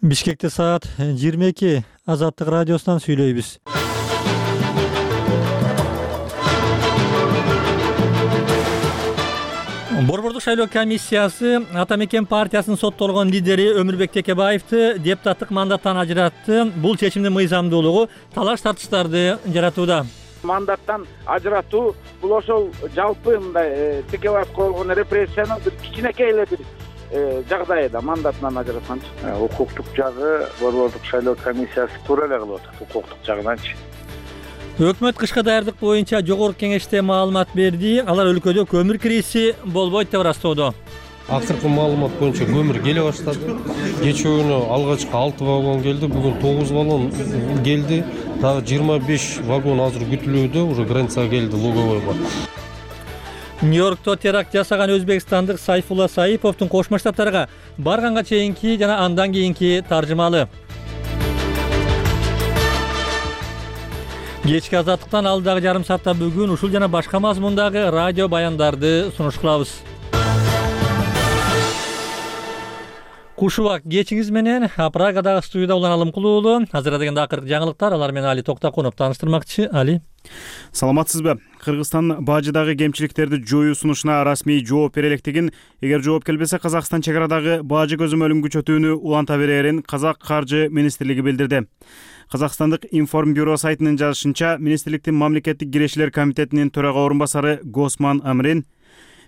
Бишкекте саат 22. Азаттык радиосунан сүйлөйбүз. Борбордук шайлоо комиссиясы Ата Мекен партиясынын соттолгон лидери Өмүрбек Текебаевди депутаттык мандаттан ажыратты. Бул чечимдин мыйзамдуулугу талаш тартыштарды жаратууда. Мандаттан ажыратуу бул ошол жалпы мындай Текебаевге болгон репрессиянын бир кичинекей эле бир жагдайда мандатынан ажыратканчы. Укуктук жагы борбордук шайлоо комиссиясы туура эле кылып атат укуктук жагынанчы. Өкмөт кышка даярдык боюнча жогорку кеңеште маалымат берди. Алар өлкөдө көмүр кризи болбойт деп ырастоодо. Акыркы маалымат боюнча көмүр келе баштады. Кечээ күнү алгачкы 6 вагон келди, бүгүн 9 вагон келди. Дагы 25 вагон азыр күтүлүүдө, уже границага келди Луговойго. Нью-Йоркто теракт жасаган өзбекстандык Сайфулла Саиповдун Кошмо Штаттарга барганга чейинки жана андан кийинки таржымалы. Кечки азаттыктан алдагы жарым саатта бүгүн ушул жана башка мазмундагы радио баяндарды сунуш кылабыз. Кушубак кечиңиз менен Прагадагы студияда улан Алымкул уулу. Азыр дегенде акыркы жаңылыктар, алар менен Али Токтакунов тааныштырмакчы. Али. Саламатсызбы? Кыргызстан бажыдагы кемчиликтерди жоюу сунушуна расмий жооп бере электигин, эгер жооп келбесе Казакстан чек арадагы бажы көзөмөлүн күчөтүүнү уланта берерин Казак каржы министрлиги билдирди. Казакстандык информбюро сайтынын жазышынча, министрликтин мамлекеттик кирешилер комитетинин төрага орун басары Госман Амрин: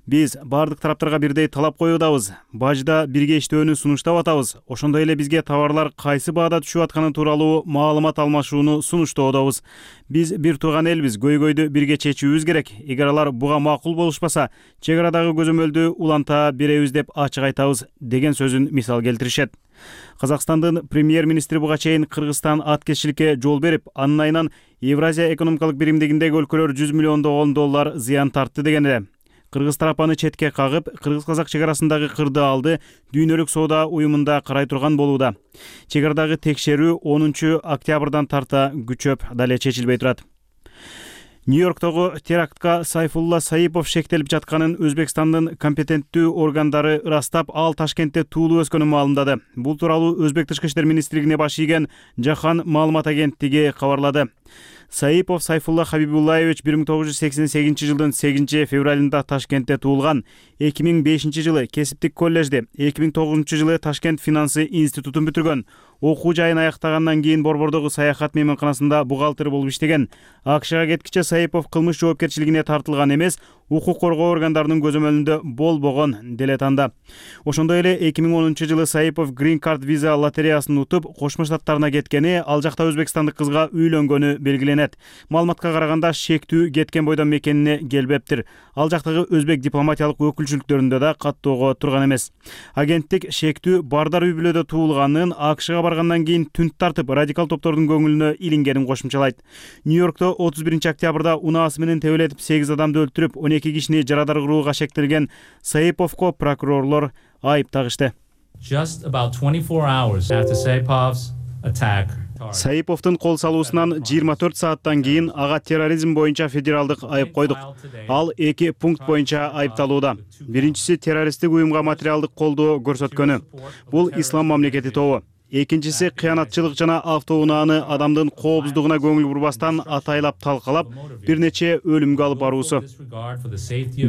"Биз бардык тараптарга бирдей талап коюудабыз. Бажда бирге иштөөнү сунуштап атабыз. Ошондой эле бизге товарлар кайсы баада түшүп атканы тууралуу маалымат алмашууну сунуштоодобуз. Биз бир тууган элбиз, көйгөйдү бирге чечүүбүз керек. Эгер алар буга макул болушпаса, чек арадагы көзөмөлдү уланта беребиз" деп ачык айтабыз деген сөзүн мисал келтиришет. Казакстандын премьер-министри буга чейин Кыргызстан аткезчиликке жол берип, анын айынан Евразия экономикалык биримдигиндеги өлкөлөр 100 миллиондогон доллар зыян тартты деген эле. Кыргыз тарапаны четке кагып, кыргыз-казак чек арасындагы кырды алды дүйнөлүк соода уюмунда карай турган болууда. Чек арадагы текшерүү 10 октябрдан тарта күчөп дале чечилбей турат. Нью-Йорктогу терактка Сайфулла Саипов шектелип жатканын Өзбекстандын компетенттүү органдары ырастап, ал Ташкентте туулуп өскөнүн маалымдады. Бул тууралуу Өзбек тышкы иштер министрлигине баш ийген Жахан маалымат агенттиги кабарлады. Саипов Сайфулла Хабибуллаевич 1988 жылдын 8 февралында Ташкентте туулган. 2005 жылы кесиптик коллежди, 2009 жылы Ташкент финансы институтун бүтүргөн. Окуу жайын аяктагандан кийин борбордогу саякат мейманканасында бухгалтер болуп иштеген. АКШга кеткиче Саипов кылмыш жоопкерчилигине тартылган эмес, укук коргоо органдарынын көзөмөлүндө болбогон деле танда. Ошондой эле 2010 жылы Саипов Green Card виза лотереясын утуп, Кошмо Штаттарына кеткени, ал жакта өзбекстандык кызга үйлөнгөнү белгиленет. Маалыматка караганда шектүү кеткен бойдон мекенине келбептир. Ал жактагы өзбек дипломатиялык өкүлчүлүктөрүндө да каттоого турган эмес. Агенттик шектүү Бардар үй бүлөдө туулганын, АКШга баргандан кийин түнт тартып, радикал топтордун көңүлүнө илингенин кошумчалайт. Нью-Йоркто 31 октябрда унаасы менен тебелетип 8 адамды өлтүрүп, 12 кишини жарадар кырууга шектелген Саиповго прокурорлор айып тагышты. Just about 24 hours after Saipov's attack, Саиповдун кол салуусунан 24 сааттан кийин ага терроризм боюнча федералдык айып койдук. Ал 2 пункт боюнча айыпталууда. Биринчиси террористтик уюмга материалдык колдоо көрсөткөнү. Бул ислам мамлекети тобу. Экинчиси кыянатчылык жана автоунааны адамдын коопсуздугуна көңүл бурбастан атайлап талкалап, бир нече өлүмгө алып баруусу,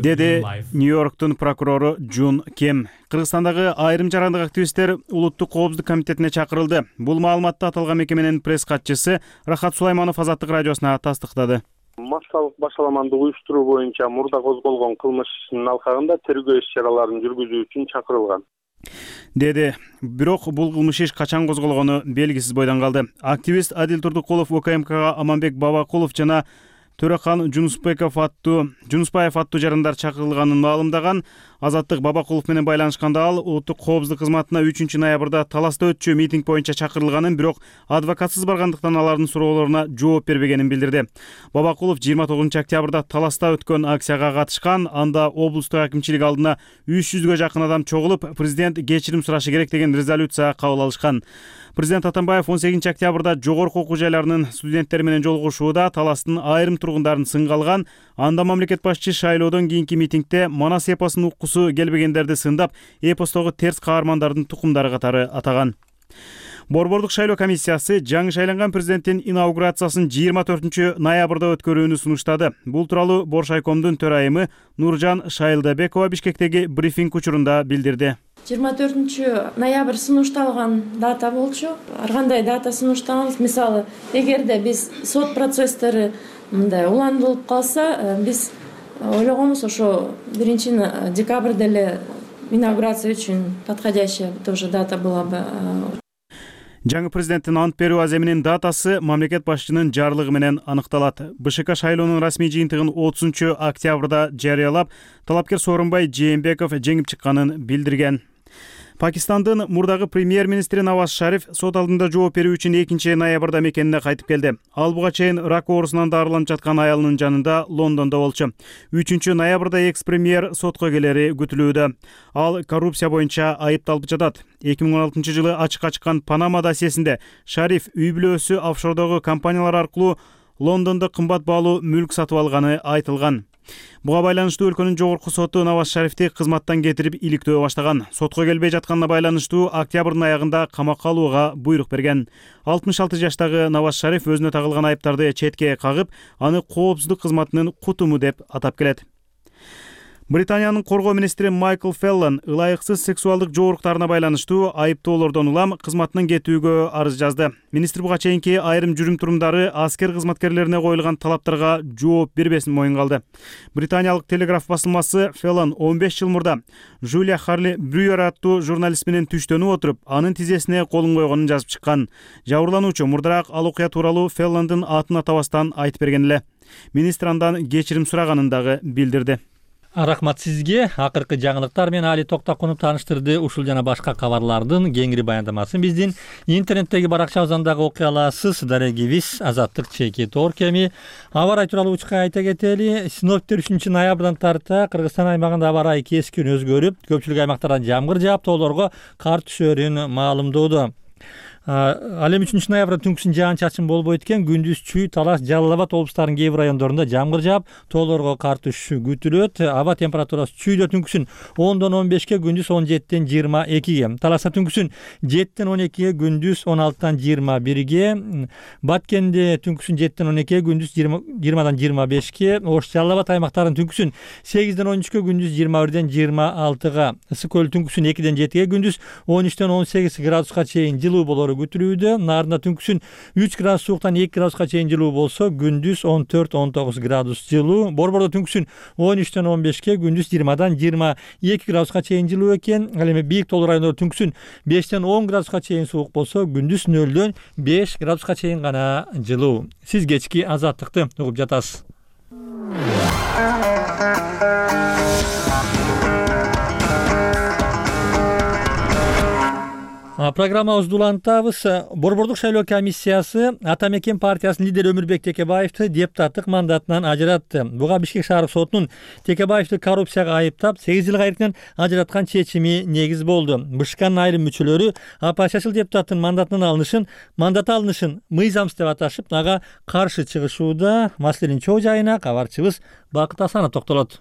деди Нью-Йорктун прокурору Джун Кем. Кыргызстандагы айрым жарандык активисттер Улуттук коопсуздук комитетине чакырылды. Бул маалыматты аталган мекеменин пресс катчысы Рахат Сулайманов Азаттык радиосуна тастыктады. Массалык башаламанды уюштуруу боюнча мурда козголгон кылмыш ишинин алкагында тергөө иш-чараларын жүргүзүү үчүн чакырылган, деди. Бирок бул кылмыш иш качан козголгону белгисиз бойдон калды. Активист Адил Турдукулов УКМКга Аманбек Бабакулов жана Төрөкан Жунуспаев аттуу жарандар чакырылганын маалымдаган. Азаттык Бабакулов менен байланышканда ал Улуттук коопсуздук кызматына 3 ноябрда Таласта өтчү митинг боюнча чакырылганын, бирок адвокатсыз баргандыктан алардын суроолоруна жооп бербегенин билдирди. Бабакулов 29 октябрда Таласта өткөн акцияга катышкан. Анда облустук акимчилик алдына 300гө жакын адам чогулуп, президент кечирим сурашы керек деген резолюция кабыл алышкан. Президент Атамбаев 18 октябрда жогорку окуу жайларынын студенттери менен жолугушууда Таластын айрым тургундарын сынга алган. Анда мамлекет башчы шайлоодон кийинки митингде Манас эпосунун уккусу келбегендерди сындап, эпостогу терс каармандардын тукумдары катары атаган. Борбордук шайлоо комиссиясы жаңы шайланган президенттин инаугурациясын 24 ноябрда өткөрүүнү сунуштады. Бул тууралуу Боршайкомдун төрайымы Нуржан Шайлдабекова Бишкектеги брифинг учурунда билдирди. 24 ноябрь сунушталган дата болчу. Ар кандай дата сунуштабыз. Мисалы, эгерде биз сот процесстери мындай уландырылып калса, биз ойлогонбуз ошо 1 декабрда эле инаугурация үчүн подходящая тоже дата была бы. Жаңы президенттин ант берүү аземинин датасы мамлекет башчынын жарлыгы менен аныкталат. БШК шайлоонун расмий жыйынтыгын 30 октябрда жарыялап, талапкер Сооронбай Жээнбеков жеңип чыкканын билдирген. Пакистандын мурдагы премьер-министри Наваз Шариф сот алдында жооп берүү үчүн 2 ноябрда мекенине кайтып келди. Ал буга чейин рак оорусунан дарыланып жаткан аялынын жанында Лондондо болчу. 3 ноябрда экс-премьер сотко келери күтүлүүдө. Ал коррупция боюнча айыпталып жатат. 2016 жылы ачыкка чыккан Панама досьесинде Шариф үй бүлөсү офшордогу компаниялар аркылуу Лондондо кымбат баалуу мүлк сатып алганы айтылган. Буга байланыштуу өлкөнүн жогорку соту Наваз Шарифти кызматтан кетирип иликтөө баштаган. Сотко келбей жатканына байланыштуу октябрдын аягында камакка алууга буйрук берген. 66 жаштагы Наваз Шариф өзүнө тагылган айыптарды четке кагып, аны коопсуздук кызматынын кутуму деп атап келет. Британиянын коргоо министри Майкл Феллон ылайыксыз сексуалдык жооруктарына байланыштуу айыптоолордон улам кызматынан кетүүгө арыз жазды. Министр буга чейинки айрым жүрүм-турумдары аскер кызматкерлерине коюлган талаптарга жооп бербесин моюнга алды. Британиялык Телеграф басылмасы Феллон 15 жыл мурда Жулия Харли Брюер аттуу журналист менен түштөнүп отуруп, анын тизесине колун койгонун жазып чыккан. Жабырлануучу мурдараак ал окуя тууралуу Феллондун атын атабастан айтып берген эле. Министр андан кечирим сураганын дагы билдирди. Рахмат сизге. Акыркы жаңылыктар менен Али Токтакунов тааныштырды. Ушул жана башка кабарлардын кеңири баяндамасын биздин интернеттеги баракчабыздан дагы окуй аласыз. Дарегибиз Азаттык чеки Торкеми. Аба ырайы тууралуу учка айта кетели. Синоптиктер 3 ноябрдан тарта Кыргызстан аймагында аба ырайы кескин өзгөрүп, көпчүлүк аймактарда жамгыр жаап, тоолорго кар түшөрүн маалымдоодо. Ал эми 3 ноябрда түнкүсүн жаан-чачын болбойт экен. Күндүз Чүй, Талаш, Жалал Абад облустарынын кээ бир райондорунда жамгыр жаап, тоолорго кар түшүшү күтүлөт. Аба температурасы Чүйдө түнкүсүн 10дон 15ке, күндүз 17ден 22ге. Талашта түнкүсүн 7ден 12ге, күндүз 16дан 21ге. Баткенде түнкүсүн 7ден 12ге, күндүз 20дан 25ке. Ош, Жалал Абад аймактарынын түнкүсүн 8ден 13ке, күндүз 21ден 26га. Ысык көл түнкүсүн 2ден 7ге, күндүз 13ден 18 градуска чейин жылуу болору күтүлүүдө. Нарында түнкүсүн 3 градус сууктан 2 градуска чейин жылуу болсо, күндүз 14-19 градус жылуу. Борбордо түнкүсүн 13ден 15ке, күндүз 20дан 22 градуска чейин жылуу экен. Ал эми бийик тоолуу райондордо түнкүсүн 5ден 10 градуска чейин суук болсо, күндүз 0дөн 5 градуска чейин гана жылуу. Сиз кечки Азаттыкты угуп жатасыз. Программабызды улантабыз. Борбордук шайлоо комиссиясы Ата Мекен партиясынын лидери Өмүрбек Текебаевди депутаттык мандатынан ажыратты. Буга Бишкек шаардык сотунун Текебаевди коррупцияга айыптап 8 жылга эркинен ажыраткан чечими негиз болду. БШКнын айрым мүчөлөрү оппозициячыл депутаттын мандаты алынышын мыйзамсыз деп аташып, ага каршы чыгышууда. Маселенин чоо жайына кабарчыбыз Бакыт Асанов токтолот.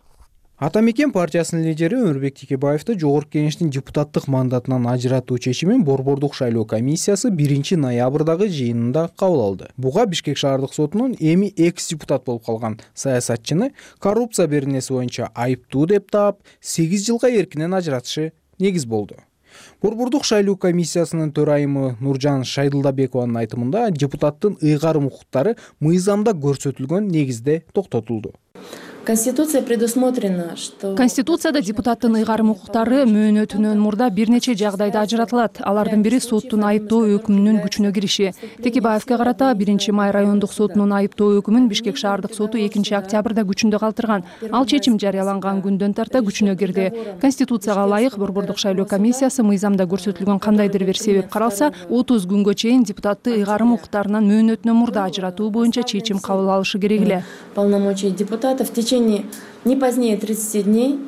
Ата Мекен партиясынын лидери Өмүрбек Текебаевди жогорку кеңештин депутаттык мандатынан ажыратуу чечимин Борбордук шайлоо комиссиясы 1 ноябрдагы жыйынында кабыл алды. Буга Бишкек шаардык сотунун эми экс-депутат болуп калган саясатчыны коррупция беренеси боюнча айыптуу деп таап 8 жылга эркинен ажыратышы негиз болду. Борбордук шайлоо комиссиясынын төрайымы Нуржан Шайлдабекованын айтымында депутаттын ыйгарым укуктары мыйзамда көрсөтүлгөн негизде токтотулду. Конституция предусмотрена, что Конституцияда депутаттын ыйгарым укуктары мөөнөтүнөн мурда бир нече жагдайда ажыратылат. Алардын бири соттун айыптоо өкүмүнүн күчүнө кириши. Текебаевге карата 1 май райондук сотунун айыптоо өкүмүн Бишкек шаардык соту 2 октябрда күчүндө калтырган. Ал чечим жарыяланган күндөн тарта күчүнө кирди. Конституцияга ылайык Борбордук шайлоо комиссиясы мыйзамда көрсөтүлгөн кандайдыр бир себеп каралса, 30 күнгө чейин депутатты ыйгарым укуктарынан мөөнөтүнөн мурда ажыратуу боюнча чечим кабыл алышы керек эле. Полномочия депутатов в течение не позднее 30 дней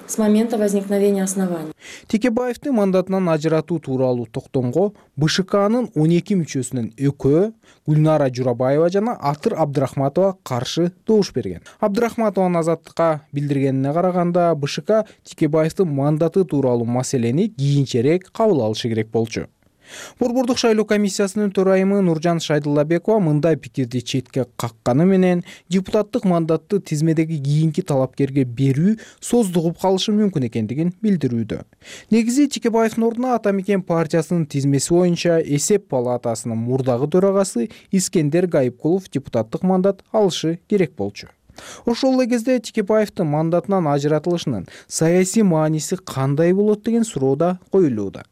с момента возникновения оснований. Текебаевди мандатынан ажыратуу тууралуу токтомго БШКнын 12 мүчөсүнөн экөө, Гүлнара Журабаева жана Атыр Абдрахматова каршы добуш берген. Абдрахматованын Азаттыкка билдиргенине караганда, БШК Текебаевдин мандаты тууралуу маселени кийинчерээк кабыл алышы керек болчу. Борбордук шайлоо комиссиясынын төрайымы Нуржан Шайдуллабекова мындай пикирди четке какканы менен депутаттык мандатты тизмедеги кийинки талапкерге берүү создугуп калышы мүмкүн экендигин билдирүүдө. Негизи Текебаевдин ордуна Ата Мекен партиясынын тизмеси боюнча эсеп палатасынын мурдагы төрагасы Искендер Гайыпкулов депутаттык мандат алышы керек болчу. Ошол эле кезде Текебаевдин мандатынан ажыратылышынын саясий мааниси кандай болот деген суроо да коюлууда.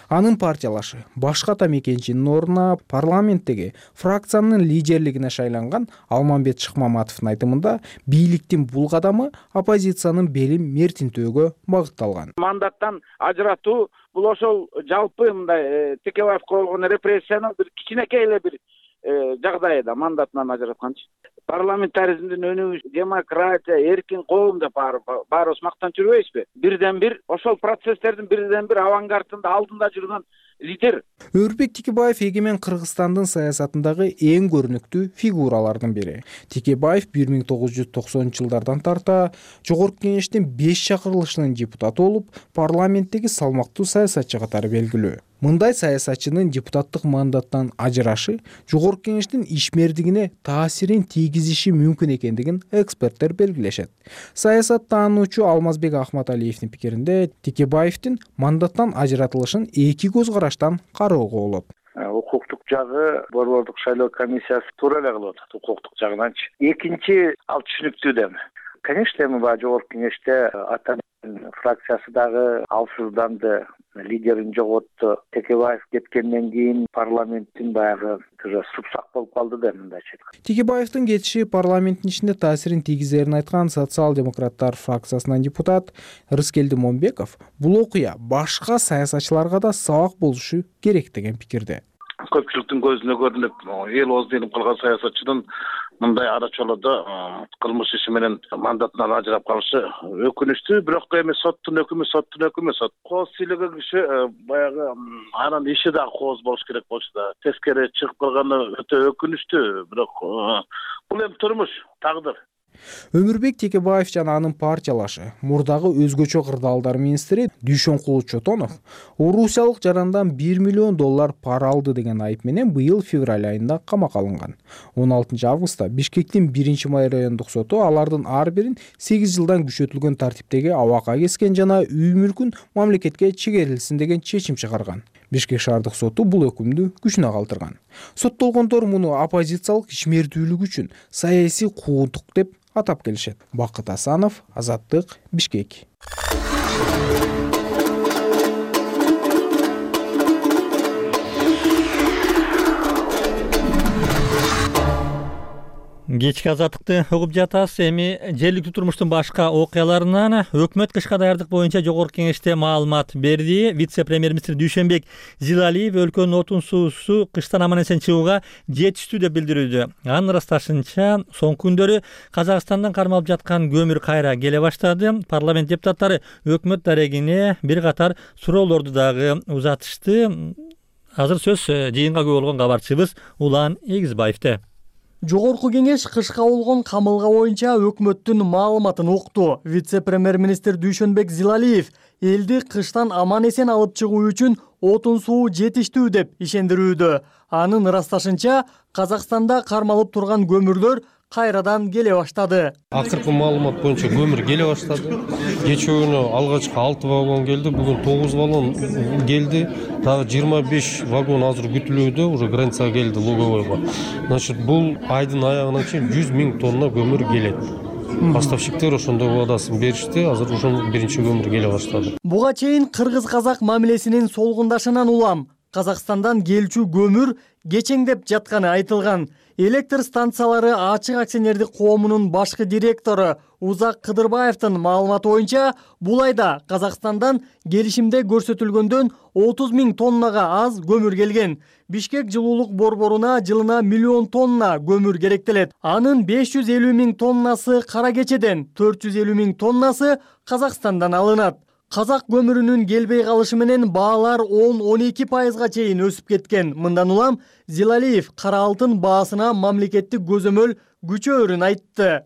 Анын партиялашы башка Ата Мекенчинин ордуна парламенттеги фракциянын лидерлигине шайланган Алмамбет Шыкмаматовдун айтымында бийликтин бул кадамы оппозициянын белин мертинтөөгө багытталган. Мандаттан ажыратуу бул ошол жалпы мындай Текебаевге болгон репрессиянын бир кичинекей эле бир жагдайда мандатынан ажыратканчы. Парламентаризмдин өнүгүш, демократия, эркин коом деп баарыбыз мактанып жүрбөйбүзбү? Бирден бир ошол процесстердин бирден бир авангардында алдында жүргөн лидер. Өрбек Текебаев эгемен Кыргызстандын саясатындагы эң көрүнүктүү фигуралардын бири. Текебаев 1990-жылдардан тарта Жогорку Кеңештин 5 чакырылышынын депутаты болуп, парламенттеги салмактуу саясатчы катары белгилүү. Мындай саясатчынын депутаттык мандаттан ажырашы Жогорку Кеңештин ишмердигине таасирин тийгизиши мүмкүн экендигин эксперттер белгилешет. Саясат таануучу Алмазбек Ахматалиевдин пикиринде Текебаевдин мандаттан ажыратылышын эки көз караштан кароого болот. Укуктук жагы борбордук шайлоо комиссиясы туура эле кылып атат укуктук жагынанчы. Экинчи ал түшүнүктүү дем. Конечно, эми баягы Жогорку Кеңеште Ата фракциясы дагы алсызданды, лидерин жоготту. Текебаев кеткенден кийин парламенттин баягы супсак болуп калды да мындайча. Текебаевдин кетиши парламенттин ичинде таасирин тийгизерин айткан социал-демократтар фракциясынан депутат Рыскелди Момбеков бул окуя башка саясатчыларга да сабак болушу керек деген пикирде. Көпчүлүктүн көзүнө көрүнүп, эл ооздун илип калган саясатчынын мындай ара чолодо кылмыш иши менен мандатынан ажырап калышы өкүнүчтүү, бирок эми соттун өкүмү. Кооз сүйлөгөн киши баягы анын иши да кооз болуш керек болчу да. Тескери чыгып калганы өтө өкүнүчтүү, бирок бул эми турмуш, тагдыр. Өмүрбек Текебаев жана анын партиялашы мурдагы өзгөчө кырдаалдар министри Дүйшөнкулу Чотонов орусиялык жарандан $1 миллион пара алды деген айып менен быйыл февраль айында камакка алынган. 16 августта Бишкектин 1-май райондук соту алардын ар бирин 8 жылдан күчөтүлгөн тартиптеги абакка кескен жана үй мүлкүн мамлекетке чегерилсин деген чечим чыгарган. Бишкек шаардык соту бул өкүмдү күчүнө калтырган. Соттолгондор муну оппозициялык ишмердүүлүк үчүн саясий куугунтук деп атап келишет. Бакыт Асанов, Азаттык, Бишкек. Кечки азаттыкты угуп жатасыз. Эми жергиликтүү турмуштун башка окуяларынан өкмөт кышка даярдык боюнча Жогорку Кеңеште маалымат берди. Вице-премьер-министр Дүйшөнбек Зилалиев өлкөнүн отун суусу кыштан аман-эсен чыгууга жетиштүү деп билдирүүдө. Анын ырасташынча, соңку күндөрү Казакстандан кармалып жаткан көмүр кайра келе баштады. Парламент депутаттары өкмөт дарегине бир катар суроолорду дагы узатышты. Азыр сөз жыйынга күбө болгон кабарчыбыз Улан Эгизбаевде. Жогорку Кеңеш кышка болгон камылга боюнча өкмөттүн маалыматын укту. Вице-премьер-министр Дүйшөнбек Зилалиев элди кыштан аман-эсен алып чыгуу үчүн отун суу жетиштүү деп ишендирүүдө. Анын ырасташынча, Казакстанда кармалып турган көмүрлөр кайрадан келе баштады. Акыркы маалымат боюнча көмүр келе баштады. Кечүүнү алгачкы 6 вагон келди, бүгүн 9 вагон келди. Дагы 25 вагон азыр күтүлүүдө, уже границага келди Луговойго. Значит, бул айдын аягына чейин 100 000 тонна көмүр келет. Поставщиктер ошондой вадасын беришти, азыр ошол биринчи көмүр келе баштады. Буга чейин кыргыз-казак мамилесинин солгундашынан улам Казакстандан келчү көмүр кечеңдеп жатканы айтылган. Электр станциялары ачык акционердик коомунун башкы директору Узак Кыдырбаевдин маалыматы боюнча, бул айда Казакстандан келишимде көрсөтүлгөндөн 30 000 тоннага аз көмүр келген. Бишкек жылуулук борборуна жылына 1 миллион тонна көмүр керектелет. Анын 550 000 тоннасы кара кечеден, 450 000 тоннасы Казакстандан алынат. Казак көмүрүнүн келбей калышы менен баалар 10-12% чейин өсүп кеткен. Мындан улам Зилалиев кара алтын баасына мамлекеттик көзөмөл күчөөрүн айтты.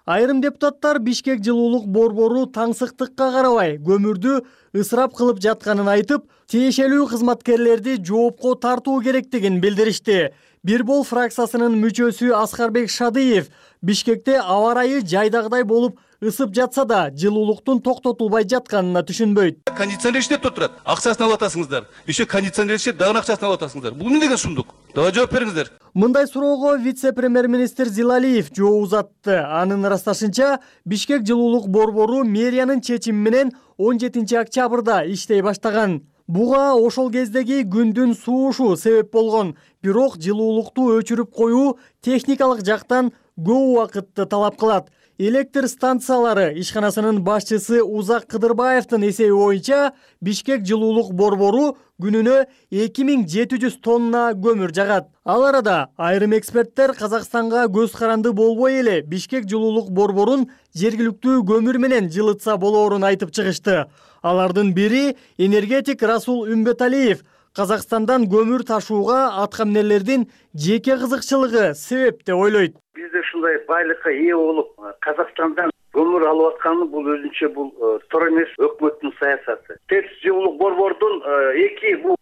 Айрым депутаттар Бишкек жылуулук борбору таңсыктыкка карабай көмүрдү ысырап кылып жатканын айтып, тиешелүү кызматкерлерди жоопко тартуу керектигин билдиришти. Бир бол фракциясынын мүчөсү Аскарбек Шадыев Бишкекте аба ырайы жайдагыдай болуп ысып жатса да, жылуулуктун токтотулбай жатканына түшүнбөйт. Кондиционер иштеп турат, акчасын алып атасыңыздар. Еще кондиционер иштеп, дагы акчасын алып атасыңыздар. Бул эмне деген сундук? Давай жооп бериңиздер. Мындай суроого вице-премьер-министр Зилалиев жооп узатты. Анын ырасташынча, Бишкек жылуулук борбору мэриянын чечими менен 17 октябрда иштей баштаган. Буга ошол кездеги күндүн суушу себеп болгон. Бирок жылуулукту өчүрүп коюу техникалык жактан көп убакытты талап кылат. Электр станциялары ишканасынын башчысы Узак Кыдырбаевдин эсеби боюнча, Бишкек жылуулук борбору күнүнө 2700 тонна көмүр жагат. Ал арада айрым эксперттер Казакстанга көз каранды болбой эле Бишкек жылуулук борборун жергиликтүү көмүр менен жылытса болоорун айтып чыгышты. Алардын бири энергетик Расул Үмбеталиев. Казакстандан көмүр ташууга аткамнерлердин жеке кызыкчылыгы себеп деп ойлойт. Бизде ушундай байлыкка ээ болуп, Казакстандан көмүр алып атканы бул өзүнчө бул туура эмес өкмөттүн саясаты. ТЭЦ жылуулук борбордун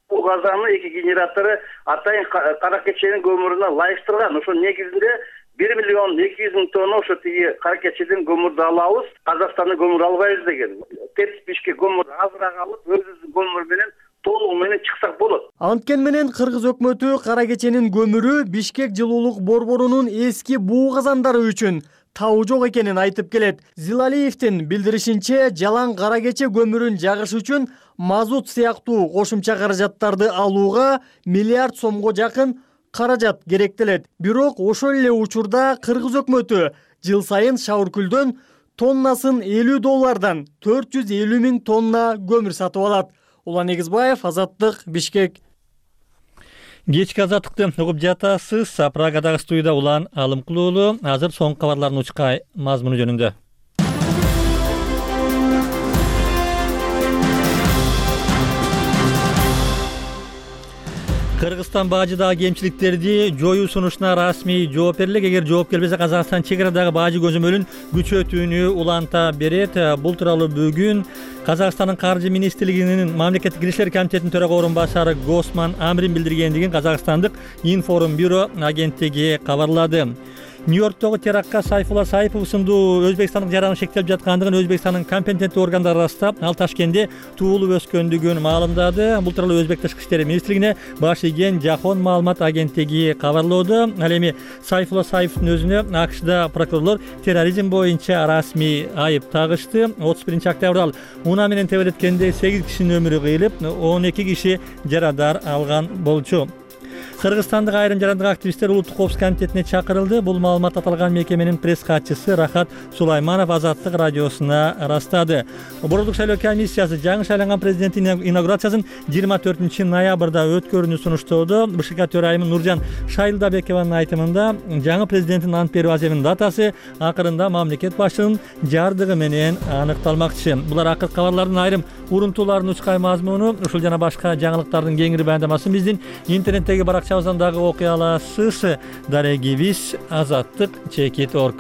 бул газаны 2 генератору атайын Кара Кеченин көмүрүнө ылайыштырган. Ошо негизинде 1 миллион 200 миң тонна ошо тиги Кара Кечеден көмүрдү алабыз, Казакстандан көмүр албайбыз деген. ТЭЦ Бишкек көмүр азыраак алып, өзүбүздүн көмүр менен толугу менен чыксак болот. Анткени менен Кыргыз өкмөтү Кара Кеченин көмүрү Бишкек жылуулук борборунун эски буу казандары үчүн табуу жок экенин айтып келет. Зилалиевдин билдиришинче, жалаң Кара Кече көмүрүн жагыш үчүн мазут сыяктуу кошумча каражаттарды алууга миллиард сомго жакын каражат керектелет. Бирок ошол эле учурда Кыргыз өкмөтү жыл сайын Шавыркүлдөн тоннасын $50 450 миң тонна көмүр сатып алат. Улан Эгизбаев, Азаттык, Бишкек. Кечки азаттыкты угуп жатасыз. Прагадагы студияда Улан Алымкул уулу. Азыр соңку кабарлардын учка мазмуну жөнүндө. Кыргызстан бажыдагы кемчиликтерди жоюу сунушуна расмий жооп берилет. Эгер жооп келбесе, Казакстан чек-арадагы бажы көзөмөлүн күчөтүүнү уланта берет. Бул тууралуу бүгүн Казакстандын Каржы министрлигинин мамлекеттик киришler комитетинин төрага орун башары Госман Амрин билдиргендигин Казакстандык Информ бюро агенттиги кабарлады. Нью-Йорктогу терактка Сайфулла Саипов сындуу Өзбекстандын жараны шектелип жаткандыгын Өзбекстандын компетенттүү органдары ырастап, ал Ташкентте туулуп өскөндүгүн маалымдады. Бул тууралуу Өзбек Тышкы иштер министрлигине баш ийген Жахон маалымат агенттиги кабарлоодо. Ал эми Сайфулла Саиповдун өзүнө АКШда прокурорлор терроризм боюнча расмий айып тагышты. 31 октябрда ал унаа менен тебелеткенде 8 кишинин өмүрү кыйылып, 12 киши жарадар алган болчу. Кыргызстандык айрым жарандык активисттер улуттук коопсуздук комитетине чакырылды. Бул маалымат аталган мекеменин пресс катчысы Рахат Сулайманов Азаттык радиосуна ырастады. Борбордук шайлоо комиссиясы жаңы шайланган президенттин инаугурациясын 24 ноябрда өткөрүүнү сунуштоодо. БШК төрайымы Нуржан Шайлдабекованын айтымында, жаңы президенттин ант берүү аземинин датасы акырында мамлекет башчынын жардыгы менен аныкталмакчы. Булар акыркы кабарлардын айрым урунтууларынын учкай мазмуну. Ушул жана башка жаңылыктардын кеңири баяндамасын биздин интернеттеги баракчабыздан дагы окуй аласыз. Дарегибиз azattik.org.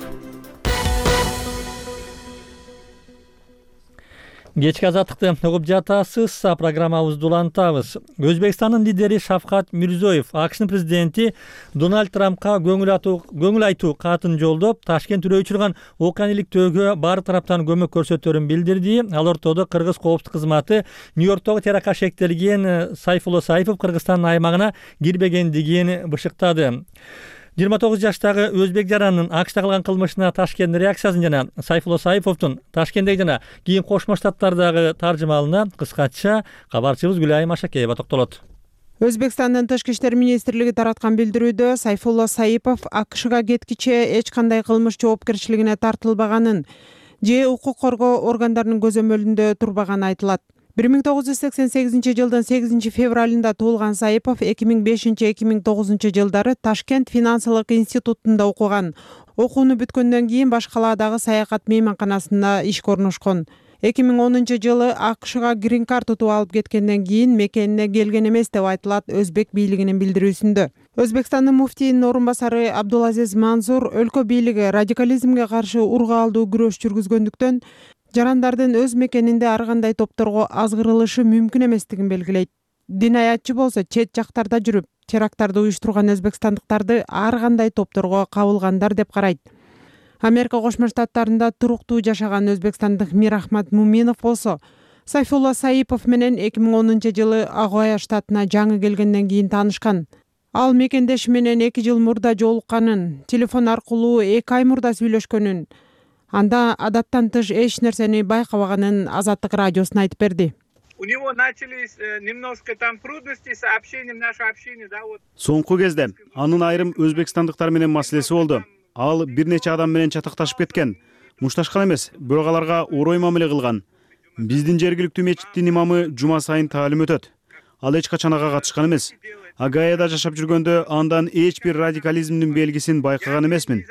Кечки азаттыкты угуп жатасыз. Программабызды улантабыз. Өзбекстандын лидери Шавкат Мирзиёев АКШнын президенти Дональд Трампка көңүл айтуу катын жолдоп, Ташкент үрөй учурган окуяны иликтөөгө баардык тараптан көмөк көрсөтөрүн билдирди. Ал ортодо Кыргыз коопсуздук кызматы Нью-Йорктогу терактка шектелген Сайфулла Саипов Кыргызстандын аймагына кирбегендигин бышыктады. 29 жаштагы өзбек жаранынын АКШда кылган кылмышына Ташкенттин реакциясын жана Сайфулла Саиповдун Ташкенттеги жана кийин Кошмо Штаттардагы таржымалына кыскача кабарчыбыз Гүлайым Ашакеева токтолот. Өзбекстандын Тышкы иштер министрлиги тараткан билдирүүдө Сайфулла Саипов АКШга кеткиче эч кандай кылмыш жоопкерчилигине тартылбаганын же укук коргоо органдарынын көзөмөлүндө турбаганы айтылат. 1988 жылдын 8 февралында туулган Саипов 2005-2009 жылдары Ташкент финансылык институтунда окуган. Окууну бүткөндөн кийин баш калаадагы саякат мейманканасында ишке орношкон. 2010 жылы АКШга грин карт утуп алып кеткенден кийин мекенине келген эмес деп айтылат өзбек бийлигинин билдирүүсүндө. Өзбекстандын муфтийинин орун басары Абдулазиз Мансур өлкө бийлиги радикализмге каршы ургаалдуу күрөш жүргүзгөндүктөн жарандардын өз мекенинде ар кандай топторго азгырылышы мүмкүн эместигин белгилейт. Динаятчы болсо чет жактарда жүрүп, теракттарды уюштурган өзбекстандыктарды ар кандай топторго кабылгандар деп карайт. Америка Кошмо Штаттарында туруктуу жашаган өзбекстандык Мирахмат Муминов болсо Сайфулла Саипов менен 2010-жылы Агуая штатына жаңы келгенден кийин таанышкан. Ал мекендеши менен 2 жыл мурда жолукканын, телефон аркылуу 2 ай мурда сүйлөшкөнүн, анда адаттан тыш эч нерсени байкабаганын Азаттык радиосуна айтып берди. У него начались немножко там трудности с общением, наше общение, да, вот. Соңку кезде анын айрым өзбекстандыктар менен маселеси болду. Ал бир нече адам менен чатакташып кеткен. Мушташкан эмес, бирок аларга орой мамиле кылган. Биздин жергиликтүү мечиттин имамы жума сайын таалим өтөт. Ал эч качан ага катышкан эмес. Агаяда жашап жүргөндө андан эч бир радикализмдин белгисин байкаган эмесмин.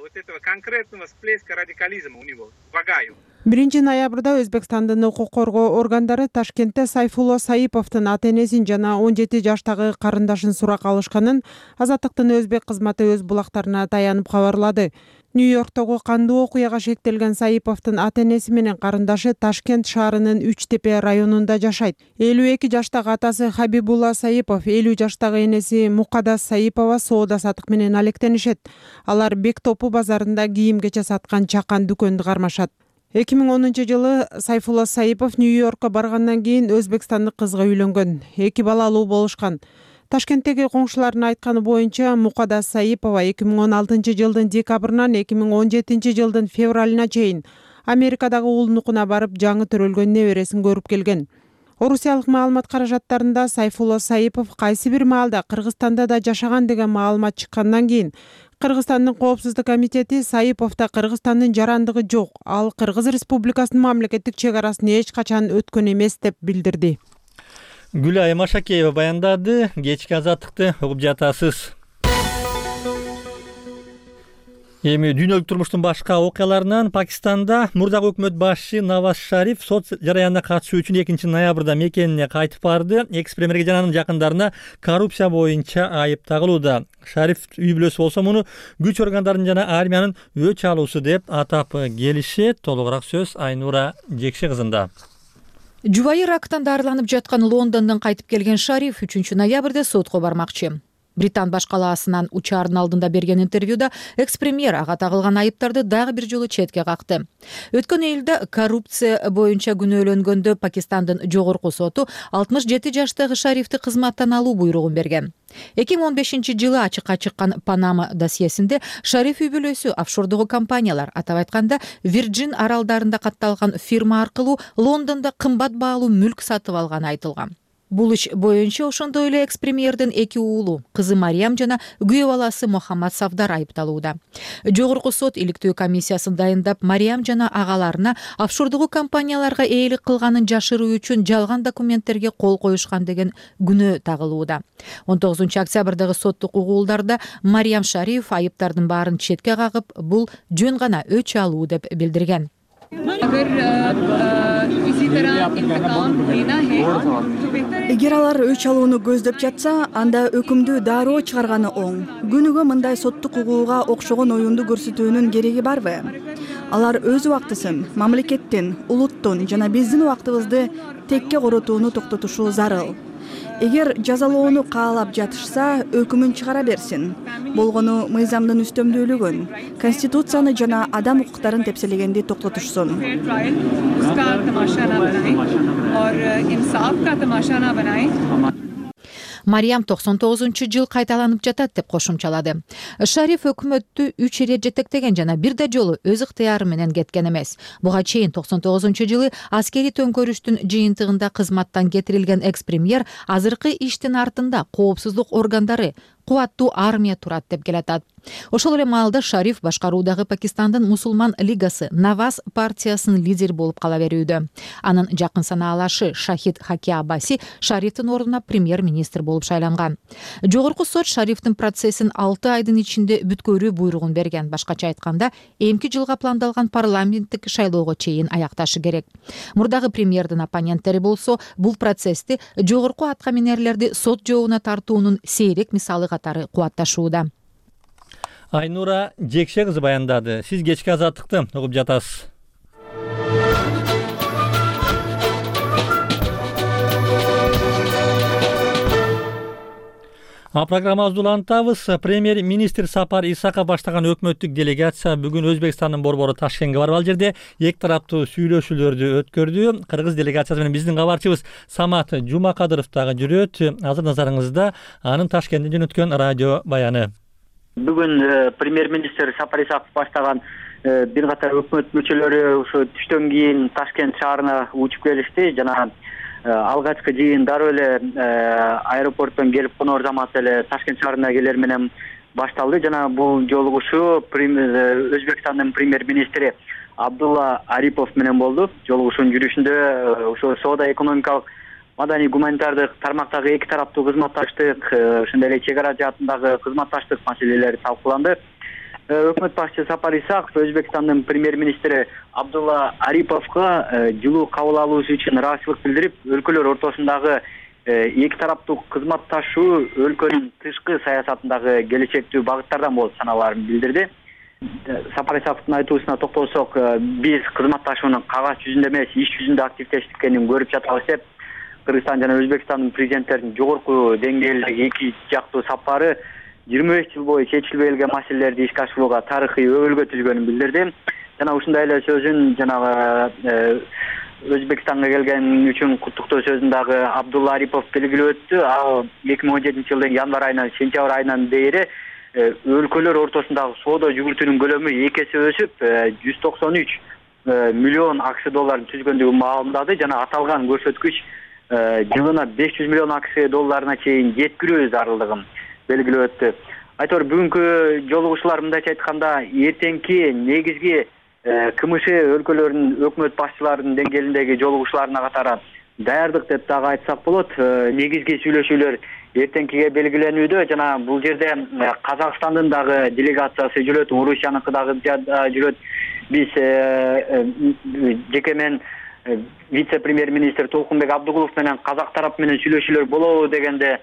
Вот этого конкретного всплеска радикализма у него в Агаю. 1-ноябрда Өзбекстандын укук коргоо органдары Ташкентте Сайфулла Саиповдун ата-энесин жана 17 жаштагы карындашын суракка алышканын Азаттыктын өзбек кызматы өз булактарына таянып кабарлады. Нью-Йорктогу кандуу окуяга шектелген Саиповдун ата-энеси менен карындашы Ташкент шаарынын Үчтепе районунда жашайт. 52 жаштагы атасы Хабибулла Саипов, 50 жаштагы энеси Мукадас Саипова соода сатык менен алектенишет. Алар Бектопу базарында кийим-кече саткан чакан дүкөндү кармашат. 2010-жылы Сайфулла Саипов Нью-Йоркко баргандан кийин өзбекстандык кызга үйлөнгөн. 2 балалуу болушкан. Ташкенттеги коңшулардын айтканы боюнча Мукадас Саипова 2016 жылдын декабрынан 2017 жылдын февралына чейин Америкадагы уулунукуна барып жаңы төрөлгөн небересин көрүп келген. Орусиялык маалымат каражаттарында Сайфулла Саипов кайсы бир маалда Кыргызстанда да жашаган деген маалымат чыккандан кийин Кыргызстандын коопсуздук комитети Саиповдо Кыргызстандын жарандыгы жок, ал Кыргыз Республикасынын мамлекеттик чек арасын эч качан өткөн эмес деп билдирди. Гүлай Машакеева баяндады. Кечки Азаттыкты угуп жатасыз. Эми дүйнөлүк турмуштун башка окуяларынан Пакистанда мурдагы өкмөт башчы Наваз Шариф сот жараянына катышуу үчүн 2-ноябрда мекенине кайтып барды. Экс-премьерге жана анын жакындарына коррупция боюнча айып тагылууда. Шариф үй бүлөсү болсо муну күч органдарынын жана армиянын өч алуусу деп атап келишет. Толугураак сөз Айнура Жекше кызында. Жубайы рактан дарыланып жаткан Лондондон кайтып келген Шариф 3-ноябрда сотко бармакчы. Британ баш калаасынан учаардын алдында берген интервьюда экс-премьер ага тагылган айыптарды дагы бир жолу четке какты. Өткөн июлда коррупция боюнча күнөөлөнгөндө Пакистандын жогорку соту 67 жаштагы Шарифти кызматтан алуу буйругун берген. 2015-жылы ачыкка чыккан Панама досьесинде Шариф үй бүлөсү офшордогу компаниялар, атап айтканда Virgin аралдарында катталган фирма аркылуу Лондондо кымбат баалуу мүлк сатып алганы айтылган. Бул иш боюнча ошондой эле экс-премьердин 2 уулу, кызы Мариям жана күйөө баласы Мохаммад Савдар айыпталууда. Жогорку сот иликтөө комиссиясын дайындап, Мариям жана агаларына офшордогу компанияларга ээлик кылганын жашыруу үчүн жалган документтерге кол коюшкан деген күнөө тагылууда. 19-октябрдагы соттук угуулдарда Мариям Шариф айыптардын баарын четке кагып, бул жөн гана өч алуу деп билдирген. Эгер алар өч алууну көздөп жатса, анда өкүмдү дароо чыгарганы оң. Күнүгө мындай соттук угууга окшогон оюнду көрсөтүүнүн кереги барбы? Алар өз убактысын мамлекеттин, улуттун жана биздин убактыбызды текке коротууну токтотушу зарыл. Эгер жазалоону каалап жатышса, өкүмүн чыгара берсин. Болгону мыйзамдын үстөмдүүлүгүн, конституцияны жана адам укуктарын тепселегенди токтотушсун. Мариям 99-жыл кайталанып жатат деп кошумчалады. Шариф өкмөттү 3 ирет жетектеген жана бир да жолу өз ыктыяры менен кеткен эмес. Буга чейин 99-жылы аскери төңкөрүштүн жыйынтыгында кызматтан кетирилген экс-премьер азыркы иштин артында коопсуздук органдары, кубаттуу армия турат деп келатат. Ошол эле маалда Шариф башкаруудагы Пакистандын мусулман лигасы Наваз партиясынын лидери болуп кала берүүдө. Анын жакын санаалашы Шахид Хаки Абаси Шарифтин ордуна премьер-министр болуп шайланган. Жогорку сот Шарифтин процессин 6 айдын ичинде бүткөрүү буйругун берген. Башкача айтканда, эмки жылга пландалган парламенттик шайлоого чейин аякташы керек. Мурдагы премьердин оппоненттери болсо, бул процессти жогорку атка минерлерди сот жообуна тартуунун сейрек мисалы катары кубатташууда. Айнура Жекше кызы баяндады. Сиз кечки Азаттыкты угуп жатасыз. Программабызды улантабыз. Премьер-министр Сапар Исаков баштаган өкмөттүк делегация бүгүн Өзбекстандын борбору Ташкентке барып ал жерде эки тараптуу сүйлөшүүлөрдү өткөрдү. Кыргыз делегациясы менен биздин кабарчыбыз Самат Жумакадыров дагы жүрөт. Азыр назарыңызда анын Ташкенттен жөнөткөн радио баяны. Бүгүн премьер-министр Сапар Исаков баштаган бир катар өкмөт мүчөлөрү ушу түштөн кийин Ташкент шаарына учуп келишти. Жана алгачкы жыйын дароо эле аэропорттон келип коноор замат эле Ташкент шаарына келер менен башталды. Жана бул жолугушуу Өзбекстандын премьер-министри Абдулла Арипов менен болду. Жолугушуунун жүрүшүндө ошо соода экономикалык маданий гуманитардык тармактагы эки тараптуу кызматташтык, ошондой эле чек ара жаатындагы кызматташтык маселелери талкууланды. Өкмөт башчысы Сапар Исаков Өзбекстандын премьер-министри Абдулла Ариповго жылуу кабыл алуусу үчүн ыраазычылык билдирип, өлкөлөр ортосундагы эки тараптуу кызматташуу өлкөнүн тышкы саясатындагы келечектүү багыттардан болуп саналаарын билдирди. Сапар Исаковдун айтуусуна токтолсок, биз кызматташуунун кагаз жүзүндө эмес, иш жүзүндө активдешкенин көрүп жатабыз деп Кыргызстан жана Өзбекстандын президенттеринин жогорку деңгээлдеги эки жактуу сапары 25 жыл бою чечилбей келген маселелерди ишке ашырууга тарыхый өбөлгө түзгөнүн билдирди. Жана ушундай эле сөзүн жанагы Өзбекстанга келген үчүн куттуктоо сөзүн дагы Абдулла Арипов белгилеп өттү. Ал 2017-жылдын январь айынан сентябрь айынан бери өлкөлөр ортосундагы соода жүгүртүүнүн көлөмү 2 эсе өсүп, 193 миллион акш долларын түзгөндүгүн маалымдады. Жана аталган көрсөткүч жылына 500 миллион акш долларына чейин жеткирүү зарылдыгын белгилеп өттү. Айтор бүгүнкү жолугушуулар мындайча айтканда эртеңки негизги КМШ өлкөлөрүнүн өкмөт башчыларынын деңгээлиндеги жолугушууларына катары даярдык деп дагы айтсак болот. Негизги сүйлөшүүлөр эртеңкиге белгиленүүдө. Жана бул жерде Казакстандын дагы делегациясы жүрөт, Орусияныкы дагы жүрөт. Биз жеке мен вице-премьер-министр Толкунбек Абдыгулов менен казак тарап менен сүйлөшүүлөр болобу дегенде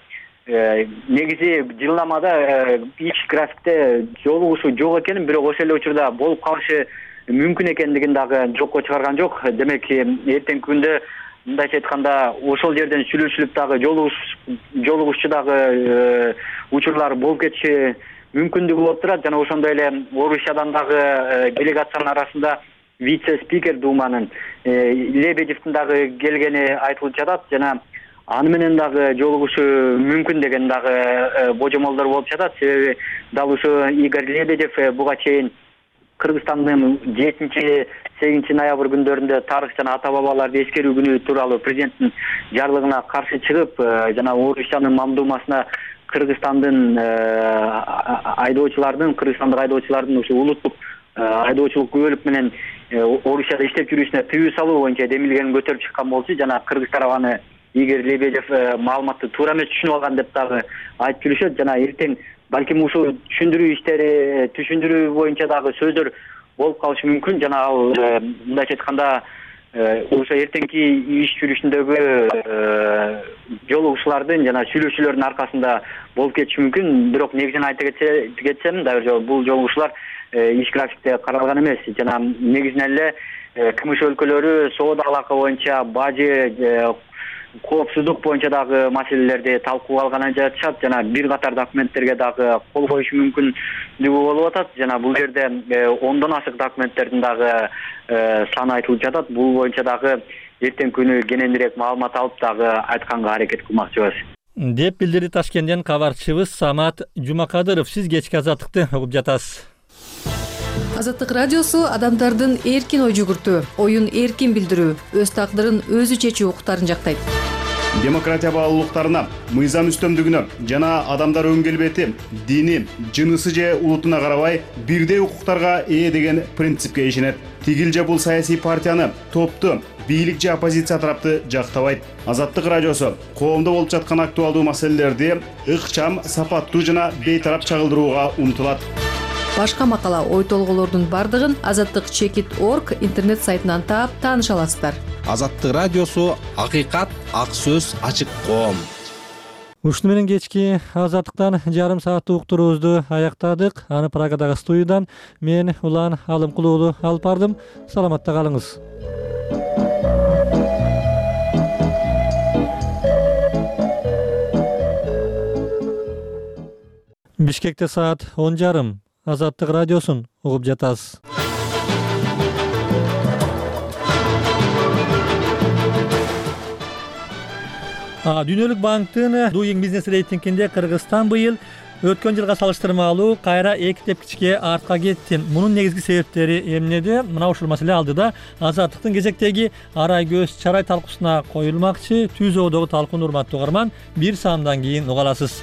негизи жылнамада иш графикте жолугушуу жок экенин, бирок ошол эле учурда болуп калышы мүмкүн экендигин дагы жокко чыгарган жок. Демек эртеңки күндө мындайча айтканда ошол жерден сүйлөшүлүп дагы жолугушчу дагы учурлар болуп кетиши мүмкүндүгү болуп турат. Жана ошондой эле Орусиядан дагы делегациянын арасында вице-спикер Думанын Лебедевдин дагы келгени айтылып жатат. Жана аны менен дагы жолугушуу мүмкүн деген дагы божомолдор болуп жатат. Себеби дал ушу Игорь Лебедев буга чейин Кыргызстандын 7-8 ноябрь күндөрүндө тарых жана ата бабаларды эскерүү күнү тууралуу президенттин жарлыгына каршы чыгып, жана Орусиянын мамдумасына Кыргызстандын кыргызстандык айдоочулардын ушу улуттук айдоочулук күбөлүк менен Орусияда иштеп жүрүүсүнө тыюу салуу боюнча демилгенин көтөрүп чыккан болчу. Жана Кыргыз тарабы аны Игорь Лебедев маалыматты туура эмес түшүнүп алган деп дагы айтып жүрүшөт. Жана эртең балким ушул түшүндүрүү боюнча дагы сөздөр болуп калышы мүмкүн. Жана ал мындайча айтканда ошо эртеңки иш жүрүшүндөгү жолугушуулардын жана сүйлөшүүлөрдүн аркасында болуп кетиши мүмкүн. Бирок негизин айта кетсем, дагы бул жолугушуулар иш графикте каралган эмес. Жана негизинен эле КМШ өлкөлөрү соода алака боюнча, бажы, коопсуздук боюнча дагы маселелерди талкууга алганы жатышат. Жана бир катар документтерге дагы кол коюшу мүмкүндүгү болуп атат. Жана бул жерде 10дон ашык документтердин дагы саны айтылып жатат. Бул боюнча дагы эртең күнү кененирээк маалымат алып дагы айтканга аракет кылмакчыбыз деп билдирди Ташкенттен кабарчыбыз Самат Жумакадыров. Сиз кечки Азаттыкты угуп жатасыз. Азаттык радиосу адамдардын эркин ой жүгүртүү, оюн эркин билдирүү, өз тагдырын өзү чечүү укуктарын жактайт. Демократия баалуулуктарына, мыйзам үстөмдүгүнө жана адамдар өң келбети, дини, жынысы же улутуна карабай бирдей укуктарга ээ деген принципке ишенет. Тигил же бул саясий партияны, топту, бийлик же оппозиция тарапты жактабайт. Азаттык радиосу коомдо болуп жаткан актуалдуу маселелерди ыкчам, сапаттуу жана бейтарап чагылдырууга умтулат. Башка макала, ой толголордун бардыгын azattik.org интернет сайтынан таап тааныша аласыздар. Азаттык радиосу акыйкат, ак сөз, ачык коом. Ушуну менен кечки Азаттыктан жарым сааттык уктуруубузду аяктадык. Аны Прагадагы студиядан мен Улан Алымкул уулу алып бардым. Саламатта калыңыз. Бишкекте саат 10:30. Азаттык радиосун угуп жатасыз. Дүйнөлүк банктын Doing Business рейтингинде Кыргызстан быйыл өткөн жылга салыштырмалуу кайра 2 тепкичке артка кетти. Мунун негизги себептери эмнеде? Мына ушул маселе алдыда Азаттыктын кезектеги арай көз чарай талкуусуна коюлмакчы. Түз оодогу талкууну урматтуу угарман, бир саамдан кийин уга аласыз.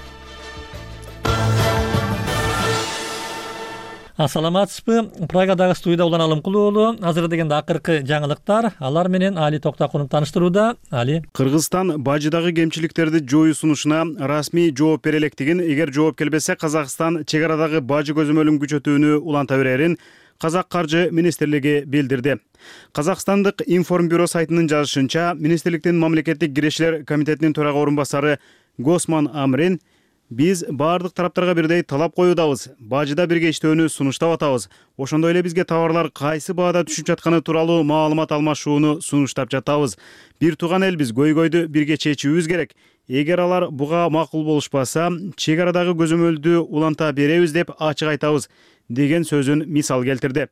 Саламатсызбы? Прагадагы студияда Улан Алымкул уулу. Азыр дегенде акыркы жаңылыктар, алар менен Али Токтакунов тааныштырууда. Али. Кыргызстан бажыдагы кемчиликтерди жоюу сунушуна расмий жооп бере электигин, эгер жооп келбесе Казакстан чек арадагы бажы көзөмөлүн күчөтүүнү уланта берерин Казак каржы министрлиги билдирди. Казакстандык информбюро сайтынын жазышынча, министрликтин мамлекеттик кирешилер комитетинин төрага орун басары Госман Амрин биз баардык тараптарга бирдей талап коюудабыз. Бажыда бирге иштөөнү сунуштап атабыз. Ошондой эле бизге товарлар кайсы баада түшүп жатканы тууралуу маалымат алмашууну сунуштап жатабыз. Бир тууган элбиз, көйгөйдү бирге чечүүбүз керек. Эгер алар буга макул болушпаса, чек арадагы көзөмөлдү уланта беребиз деп ачык айтабыз деген сөзүн мисал келтирди.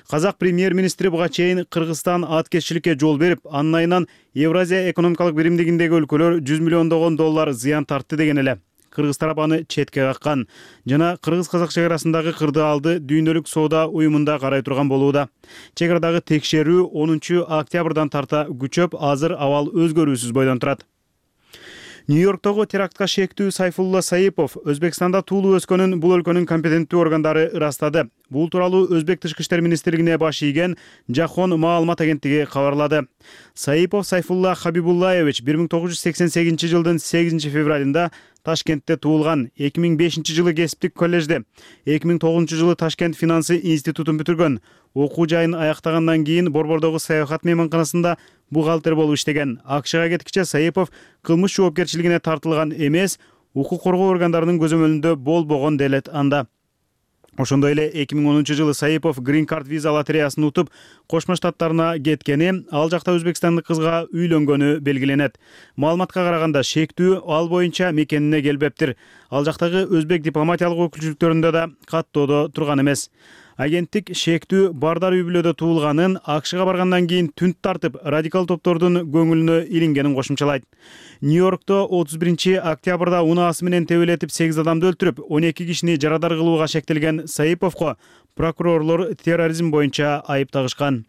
Казак премьер-министри буга чейин Кыргызстан аткезчиликке жол берип, анын айынан Евразия экономикалык биримдигиндеги өлкөлөр 100 миллиондогон доллар зыян тартты деген эле. Кыргыз тарап аны четке каккан жана кыргыз-казак чек арасындагы кырдаалды дүйнөлүк соода уюмунда карай турган болууда. Чек арадагы текшерүү 10 октябрдан тарта күчөп, азыр абал өзгөрүүсүз бойдон турат. Нью-Йорктогу терактка шектүү Сайфулла Саипов Өзбекстанда туулуу өскөнүн бул өлкөнүн компетенттүү органдары ырастады. Бул тууралуу Өзбек тышкы иштер министрлигине баш ийген Жахон маалымат агенттиги кабарлады. Саипов Сайфулла Хабибуллаевич 1988 жылдын 8 февралында Ташкентте туулган. 2005 жылы кесиптик коллежде, 2009 жылы Ташкент финансы институтун бүтүргөн. Окуу жайын аяктагандан кийин Борбордогу саякат мейманканасында бухгалтер болуп иштеген. АКШга кеткиче Саипов кылмыш жоопкерчилигине тартылган эмес, укук коргоо органдарынын көзөмөлүндө болбогон делет анда. Ошондой эле 2010 жылы Саипов Green Card виза лотереясын утуп, Кошмо Штаттарына кеткени, ал жакта өзбекстандык кызга үйлөнгөнү белгиленет. Маалыматка караганда шектүү ал боюнча мекенине келбептир. Ал жактагы өзбек дипломатиялык өкүлчүлүктөрүндө да каттоодо турган эмес. Агенттик шектүү Бардар үй-бүлөдө туулганын, АКШга баргандан кийин түнт тартып, радикал топтордун көңүлүнө илингенин кошумчалайт. Нью-Йоркто 31 октябрда унаасы менен тебелетип 8 адамды өлтүрүп, 12 кишини жарадар кылууга шектелген Саиповго прокурорлор терроризм боюнча айып тагышкан.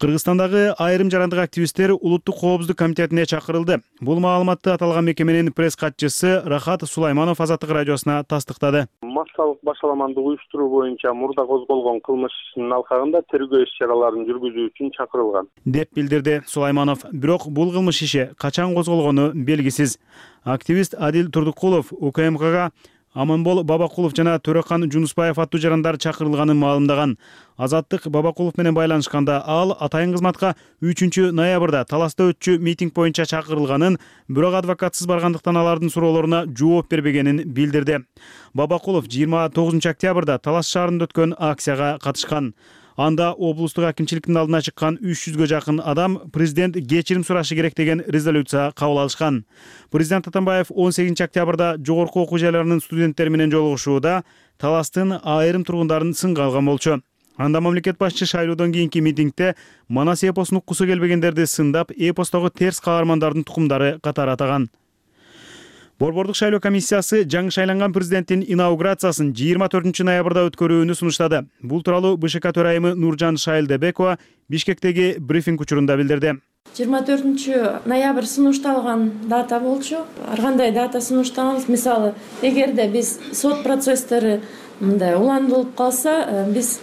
Кыргызстандагы айрым жарандык активисттер Улуттук коопсуздук комитетине чакырылды. Бул маалыматты аталган мекеменин пресс катчысы Рахат Сулайманов Азаттык радиосуна тастыктады. Массалык башаламандык уюштуруу боюнча мурда козголгон кылмыш ишинин алкагында тергөө иш-чараларын жүргүзүү үчүн чакырылган, деп билдирди Сулайманов. Бирок бул кылмыш иши качан козголгону белгисиз. Активист Адил Турдукулов УКМКга Аманбол Бабакулов жана Төрөкан Жунуспаев аттуу жарандар чакырылганын маалымдаган. Азаттык Бабакулов менен байланышканда ал атайын кызматка 3 ноябрда Таласта өтчү митинг боюнча чакырылганын, бирок адвокатсыз баргандыктан алардын суроолоруна жооп бербегенин билдирди. Бабакулов 29 октябрда Талас шаарында өткөн акцияга катышкан. Анда облустук акимчиликтин алдына чыккан 300гө жакын адам президент кечирим сурашы керек деген резолюция кабыл алышкан. Президент Атамбаев 18 октябрда жогорку окуу жайларынын студенттери менен жолугушууда Таластын айрым тургундарын сынга алган болчу. Анда мамлекет башчы шайлоодон кийинки митингде Манас эпосун уккусу келбегендерди сындап, эпостогу терс каармандардын тукумдары катары атаган. Борбордук шайлоо комиссиясы жаңы шайланган президенттин инаугурациясын 24 ноябрда өткөрүүнү сунуштады. Бул тууралуу БШК төрайымы Нуржан Шайлдебекова Бишкектеги брифинг учурунда билдирди. 24 ноябрь сунушталган дата болчу. Ар кандай дата сунуштаганбыз, мисалы, эгерде биз сот процесстери мындай уландырылып калса, биз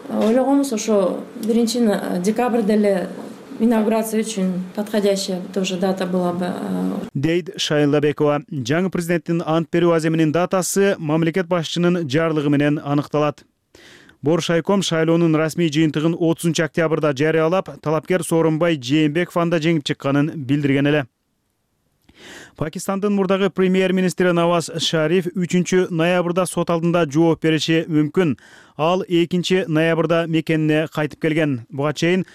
ойлогонбуз ошо 1 декабрда эле инаугурация үчүн подходящая тоже дата была бы. Дейт Шайлдебекова. Жаңы президенттин ант берүү аземинин датасы мамлекет башчынын жарлыгы менен аныкталат. Боршайком шайлоонун расмий жыйынтыгын 30 октябрда жарыялап, талапкер Сооронбай Жээнбеков анда жеңип чыкканын билдирген эле. Пакистандын мурдагы премьер-министри Наваз Шариф 3-ноябрда сот алдында жооп бериши мүмкүн. Ал 2-ноябрда мекенине кайтып келген. Буга чейин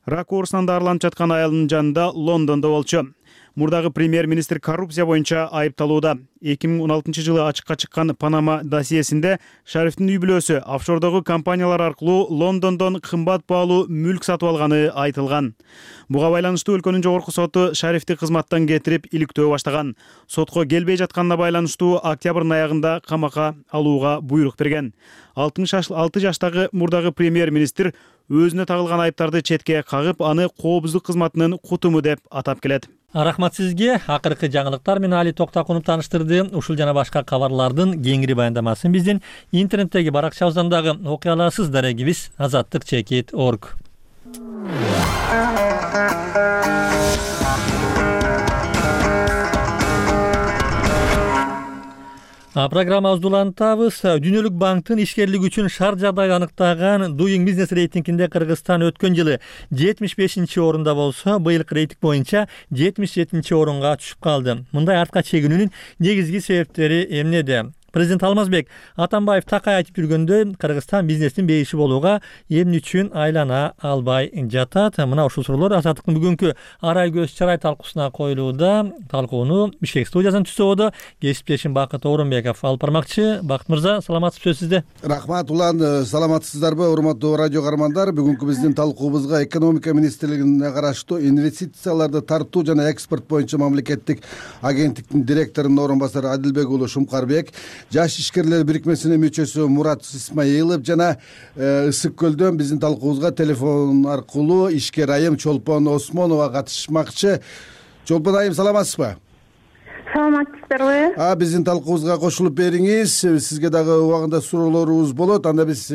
рак оорусунан дарыланып жаткан аялынын жанында Лондондо болчу. Мурдагы премьер-министр коррупция боюнча айыпталууда. 2016-жылы ачыкка чыккан Панама досьесинде Шарифтин үй бүлөсү офшордогу компаниялар аркылуу Лондондон кымбат баалуу мүлк сатып алганы айтылган. Буга байланыштуу өлкөнүн жогорку соту Шарифти кызматтан кетирип, иликтөө баштаган. Сотко келбей жатканына байланыштуу октябрдын аягында камакка алууга буйрук берген. 66 жаштагы мурдагы премьер-министр өзүнө тагылган айыптарды четке кагып, аны коопсуздук кызматынын кутуму деп атап келет. Рахмат сизге. Акыркы жаңылыктар менен Али Токтакунов тааныштырды. Ушул жана башка кабарлардын кеңири баяндамасын биздин интернеттеги баракчабыздан дагы окуй аласыз. Дарегибиз azattik.org. Программабызды улантабыз. Дүйнөлүк банктын ишкерлик үчүн шарт жагдайды аныктаган Doing Business рейтингинде Кыргызстан өткөн жылы 75-орунда болсо, быйылкы рейтинг боюнча 77-орунга түшүп калды. Мындай артка чегинүүнүн негизги себептери эмнеде? Президент Алмазбек Атамбаев такай айтып жүргөндөй, Кыргызстан бизнестин бейиши болууга эмне үчүн айлана албай жатат? Мына ушул суроолор Азаттыктын бүгүнкү арай көз чарай талкуусуна коюлууда. Талкууну Бишкек студиясынан түзүүдө кесиптешим Бакыт Орунбеков алып бармакчы. Бакыт мырза, саламатсызбы сизде? Рахмат улан, саламатсыздарбы урматтуу радио каармандар? Бүгүнкү биздин талкуубузга экономика министрлигине караштуу инвестицияларды тартуу жана экспорт боюнча мамлекеттик агенттиктин директорунун орун басары Адилбек уулу Шумкарбек, Жаш ишкерлер бирикмесинин мүчөсү Мурат Исмаилов жана Ысык Көлдөн биздин талкуубузга телефон аркылуу ишкер айым Чолпон Осмонова катышмакчы. Чолпон айым, саламатсызбы? Саламатсыздарбы? Биздин талкуубузга кошулуп бериңиз. Сизге дагы убагында суроолорубуз болот. Анда биз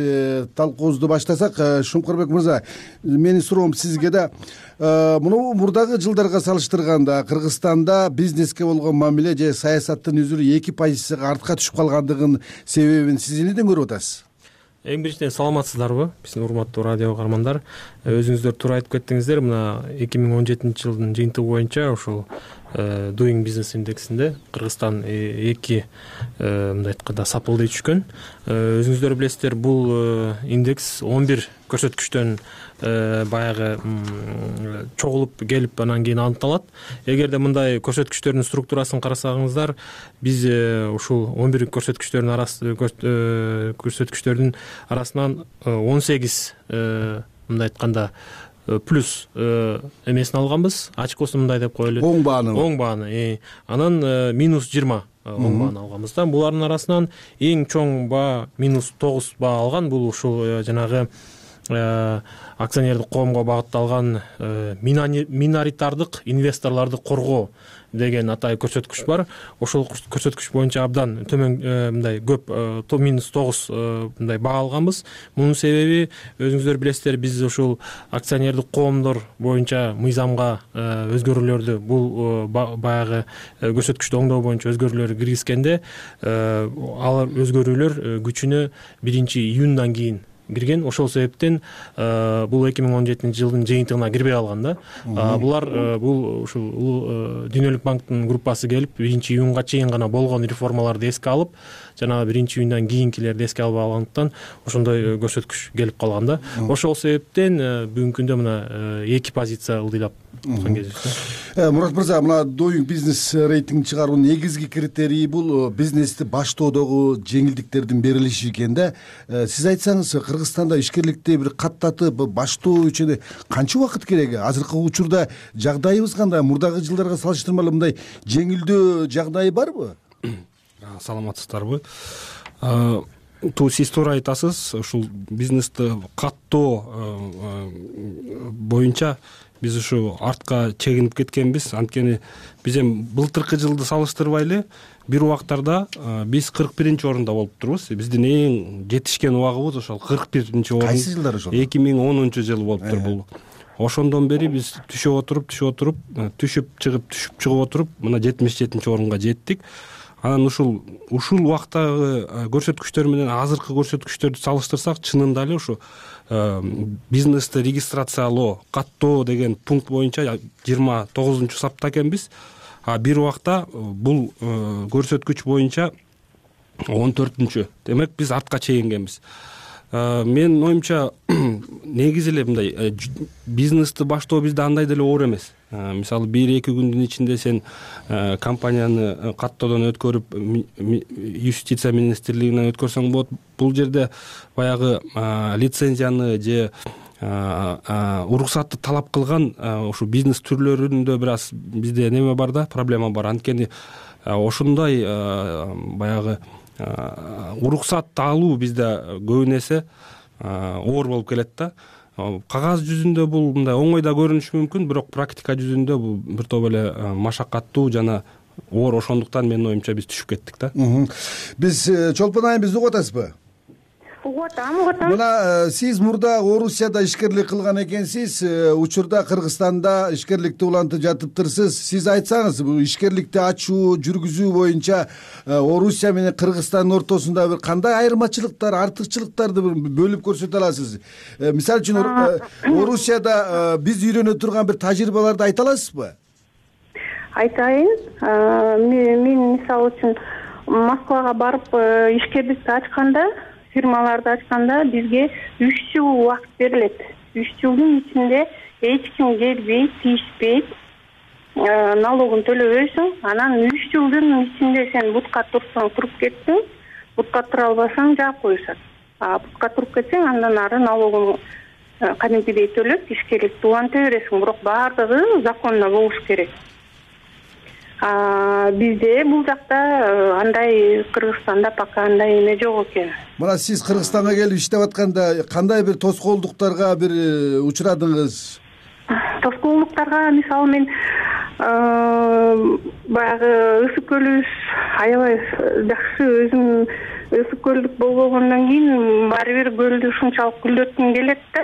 талкуубузду баштасак. Шумкарбек мырза, менин суроом сизге да. Муну мурдагы жылдарга салыштырганда Кыргызстанда бизнеске болгон мамиле же саясаттын үзүрү 2% артка түшүп калгандыгынын себебин сиз эмнеден көрүп атасыз? Эң биринчиден саламатсыздарбы, биздин урматтуу радио каармандар. Өзүңүздөр туура айтып кеттиңиздер. Мына 2017-жылдын жыйынтыгы боюнча ушул Doing Business индексинде Кыргызстан 2 мындай айтканда сапылдый түшкөн. Өзүңүздөр билесиздер, бул индекс 11 көрсөткүчтөн баягы чогулуп келип анан кийин аныкталат. Эгерде мындай көрсөткүчтөрдүн структурасын карасаңыздар, биз ушул 11 көрсөткүчтөрдүн арасынан 18 мындай айтканда плюс эмесин алганбыз. Ачкосун мындай деп коелу. Оң бааны. Анан минус 20 оң бааны алганбыз да. Булардын арасынан эң чоң баа минус 9 баа алган. Бул ушул жанагы акционердик коомго багытталган миноритардык инвесторлорду коргоо деген атай көрсөткүч бар. Ошол көрсөткүч боюнча абдан төмөн мындай көп минус 9 мындай баа алганбыз. Мунун себеби өзүңүздөр билесиздер, биз ушул акционердик коомдор боюнча мыйзамга өзгөрүүлөрдү, бул баягы көрсөткүчтү оңдоо боюнча өзгөрүүлөр киргизгенде, ал өзгөрүүлөр күчүнө 1-июндан кийин кирген. Ошол себептен бул 2017-жылдын жыйынтыгына кирбей калган да. Булар бул ушул Дүйнөлүк банктын группасы келип 1-июнга чейин гана болгон реформаларды эске алып, жана 1-июндан кийинкилерди эске албай алгандыктан ошондой көрсөткүч келип калган да. Ошол себептен бүгүнкү күндө мына 2 позиция ылдыйлап аткан кезибиз. Мурат мырза, мына Doing Business рейтинг чыгаруунун негизги критерийи бул бизнести баштоодогу жеңилдиктердин берилиши экен да. Сиз айтсаңыз, Кыргызстанда ишкерликти бир каттатып баштоо үчүн канча убакыт керек? Азыркы учурда жагдайыбыз кандай? Мурдагы жылдарга салыштырмалуу мындай жеңилдөө жагдайы барбы? Саламатсыздарбы? Сиз туура айтасыз. Ушул бизнести каттоо боюнча биз ушу артка чегинип кеткенбиз. Анткени биз эми былтыркы жылды салыштырбай бир убактарда биз 41-орунда болуп турбуз. Биздин эң жетишкен убагыбыз ошол 41-орун. Кайсы жылдар ошол? 2010-жыл болуптур бул. Ошондон бери биз түшүп отуруп, түшүп чыгып отуруп, мына 77-орунга жеттик. Анан ушул убактагы көрсөткүчтөр менен азыркы көрсөткүчтөрдү салыштырсак, чынында эле ушу бизнести регистрациялоо, каттоо деген пункт боюнча 29-сапта экенбиз. а бир убакта бул көрсөткүч боюнча 14-чү. Демек биз артка чегингенбиз. Менин оюмча негизи эле мындай бизнести баштоо бизде андай деле оор эмес. Мисалы 1-2 күндүн ичинде сен компанияны каттоодон өткөрүп юстиция министрлигинен өткөрсөң болот. Бул жерде баягы лицензияны же уруксатты талап кылган ушу бизнес түрлөрүндө бир аз бизде неме бар да, проблема бар. Анткени ошондой баягы уруксатты алуу бизде көбүн эсе оор болуп келет да. Кагаз жүзүндө бул мындай оңой да көрүнүшү мүмкүн, бирок практика жүзүндө бул бир топ эле машакаттуу жана оор. Ошондуктан менин оюмча биз түшүп кеттик да. Биз Чолпон айым бизди угуп атасызбы? Угуп атам. Мына сиз мурда Орусияда ишкерлик кылган экенсиз, учурда Кыргызстанда ишкерликти улантып жатыптырсыз. Сиз айтсаңыз, бул ишкерликти ачуу, жүргүзүү боюнча Орусия менен Кыргызстандын ортосунда бир кандай айырмачылыктар, артыкчылыктарды бөлүп көрсөтө аласыз? Мисалы үчүн Орусияда биз үйрөнө турган бир тажрыйбаларды айта аласызбы? Айтайын. Мен мисалы үчүн Москвага барып ишкерликти ачканда, фирмаларды ачканда бизге 3 жыл убакыт берилет. 3 жылдын ичинде эч ким келбей, тийишпейт, налогун төлөбөйсүң. Анан 3 жылдын ичинде сен бутка турсаң, туруп кеттиң, бутка тура албасаң жаап коюшат. Бутка туруп кетсең, андан ары налогун кадимкидей төлөп, ишкерликти уланта бересиң. Бирок баардыгы законно болуш керек. Бизде бул жакта андай Кыргызстанда пока андай эме жок экен. Мына сиз Кыргызстанга келип иштеп атканда кандай бир тоскоолдуктарга бир учурадыңыз? Тоскоолдуктарга мисалы мен баягы ысык көлүбүз аябай жакшы, өзүм ысык көлдүк болгондон кийин баары бир көлдү ушунчалык гүлдөткүм келет да.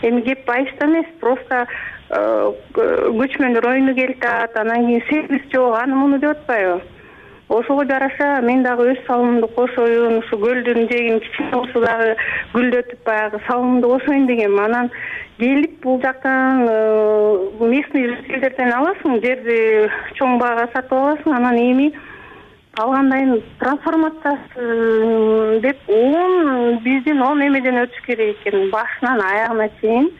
Эми кеп айышта эмес, просто көчмөндөр ойуну келтат, анан кийин сервис жок, аны муну деп атпайбы. Ошого жараша мен дагы өз салымымды кошоюн, ушу көлдүн жээгин кичине болсо дагы гүлдөтүп баягы салымымды кошоюн дегем. Анан келип бул жактан местный жителдерден аласың, жерди чоң баага сатып аласың, анан эми алгандайын трансформациясы деп биздин 10 эмеден өтүш керек экен, башынан аягына чейин.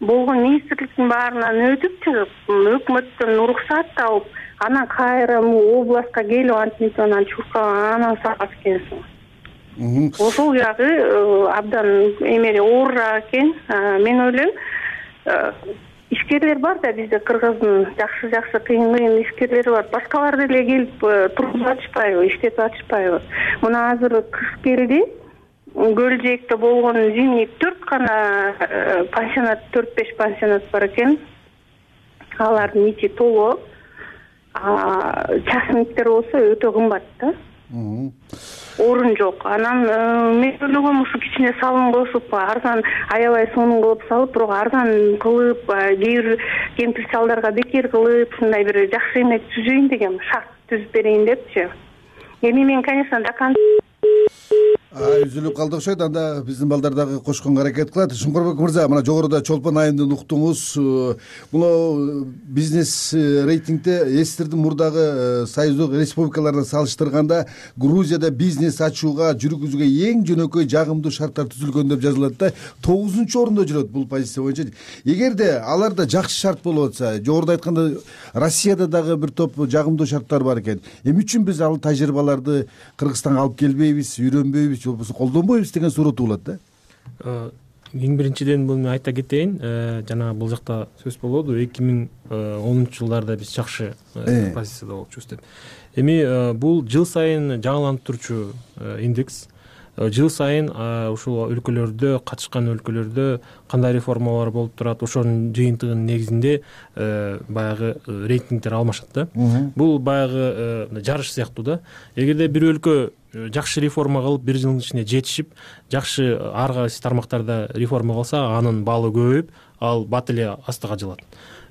Болгон министрликтин баарынан өтүп чыгып, өкмөттөн уруксат алып, анан кайра областка келип антип анан чуркап анан сатат экенсиң. Ошол жагы абдан эмеде оорураак экен. Мен ойлойм, ишкерлер бар да бизде, Кыргыздын жакшы кыйын ишкерлери бар. Башкалар деле келип туруп ачышпайбы, иштеп ачышпайбы. Мына азыр кыш келди. Көл жээкте болгон зимний 4 гана пансионат, 4-5 пансионат бар экен. Алардын ичи толуу. Частниктер болсо өтө кымбат да. Орун жок. Анан мен ойлогом ушу кичине салым кошуп, арзан аябай сонун кылып салып, бирок арзан кылып, кээ бир кемпир чалдарга бекер кылып, ушундай бир жакшы эме түзөйүн дегем, шарт түзүп берейин депчи. Эми мен, конечно, Үзүлүп калды окшойт. Анда биздин балдар дагы кошконго аракет кылат. Шуңкурбек мырза, мына жогоруда Чолпон айымдын уктуңуз. Бул бизнес рейтингде эстердин мурдагы союздук республикаларына салыштырганда Грузияда бизнес ачууга, жүргүзүүгө эң жөнөкөй жагымдуу шарттар түзүлгөн деп жазылат да, 9-орунда жүрөт бул позиция боюнча. Эгерде аларда жакшы шарт болуп атса, жогоруда айтканда Россияда дагы бир топ жагымдуу шарттар бар экен. Эмне үчүн биз ал тажрыйбаларды Кыргызстанга алып келбейбиз, үйрөнбөйбүз, же болбосо колдонбойбуз деген суроо туулат да. Эң биринчиден бул мен айта кетейин, жана бул жакта сөз болду, 2010-жылдарда биз жакшы позицияда болчубуз деп. Эми бул жыл сайын жаңыланып турчу индекс. Жыл сайын ушул өлкөлөрдө, катышкан өлкөлөрдө кандай реформалар болуп турат, ошонун жыйынтыгынын негизинде баягы рейтингдер алмашат да. Бул баягы жарыш сыяктуу да. Эгерде бир өлкө жакшы реформа кылып, бир жылдын ичинде жетишип, жакшы ар кайсы тармактарда реформа кылса, анын баллы көбөйүп, ал бат эле астыга жылат.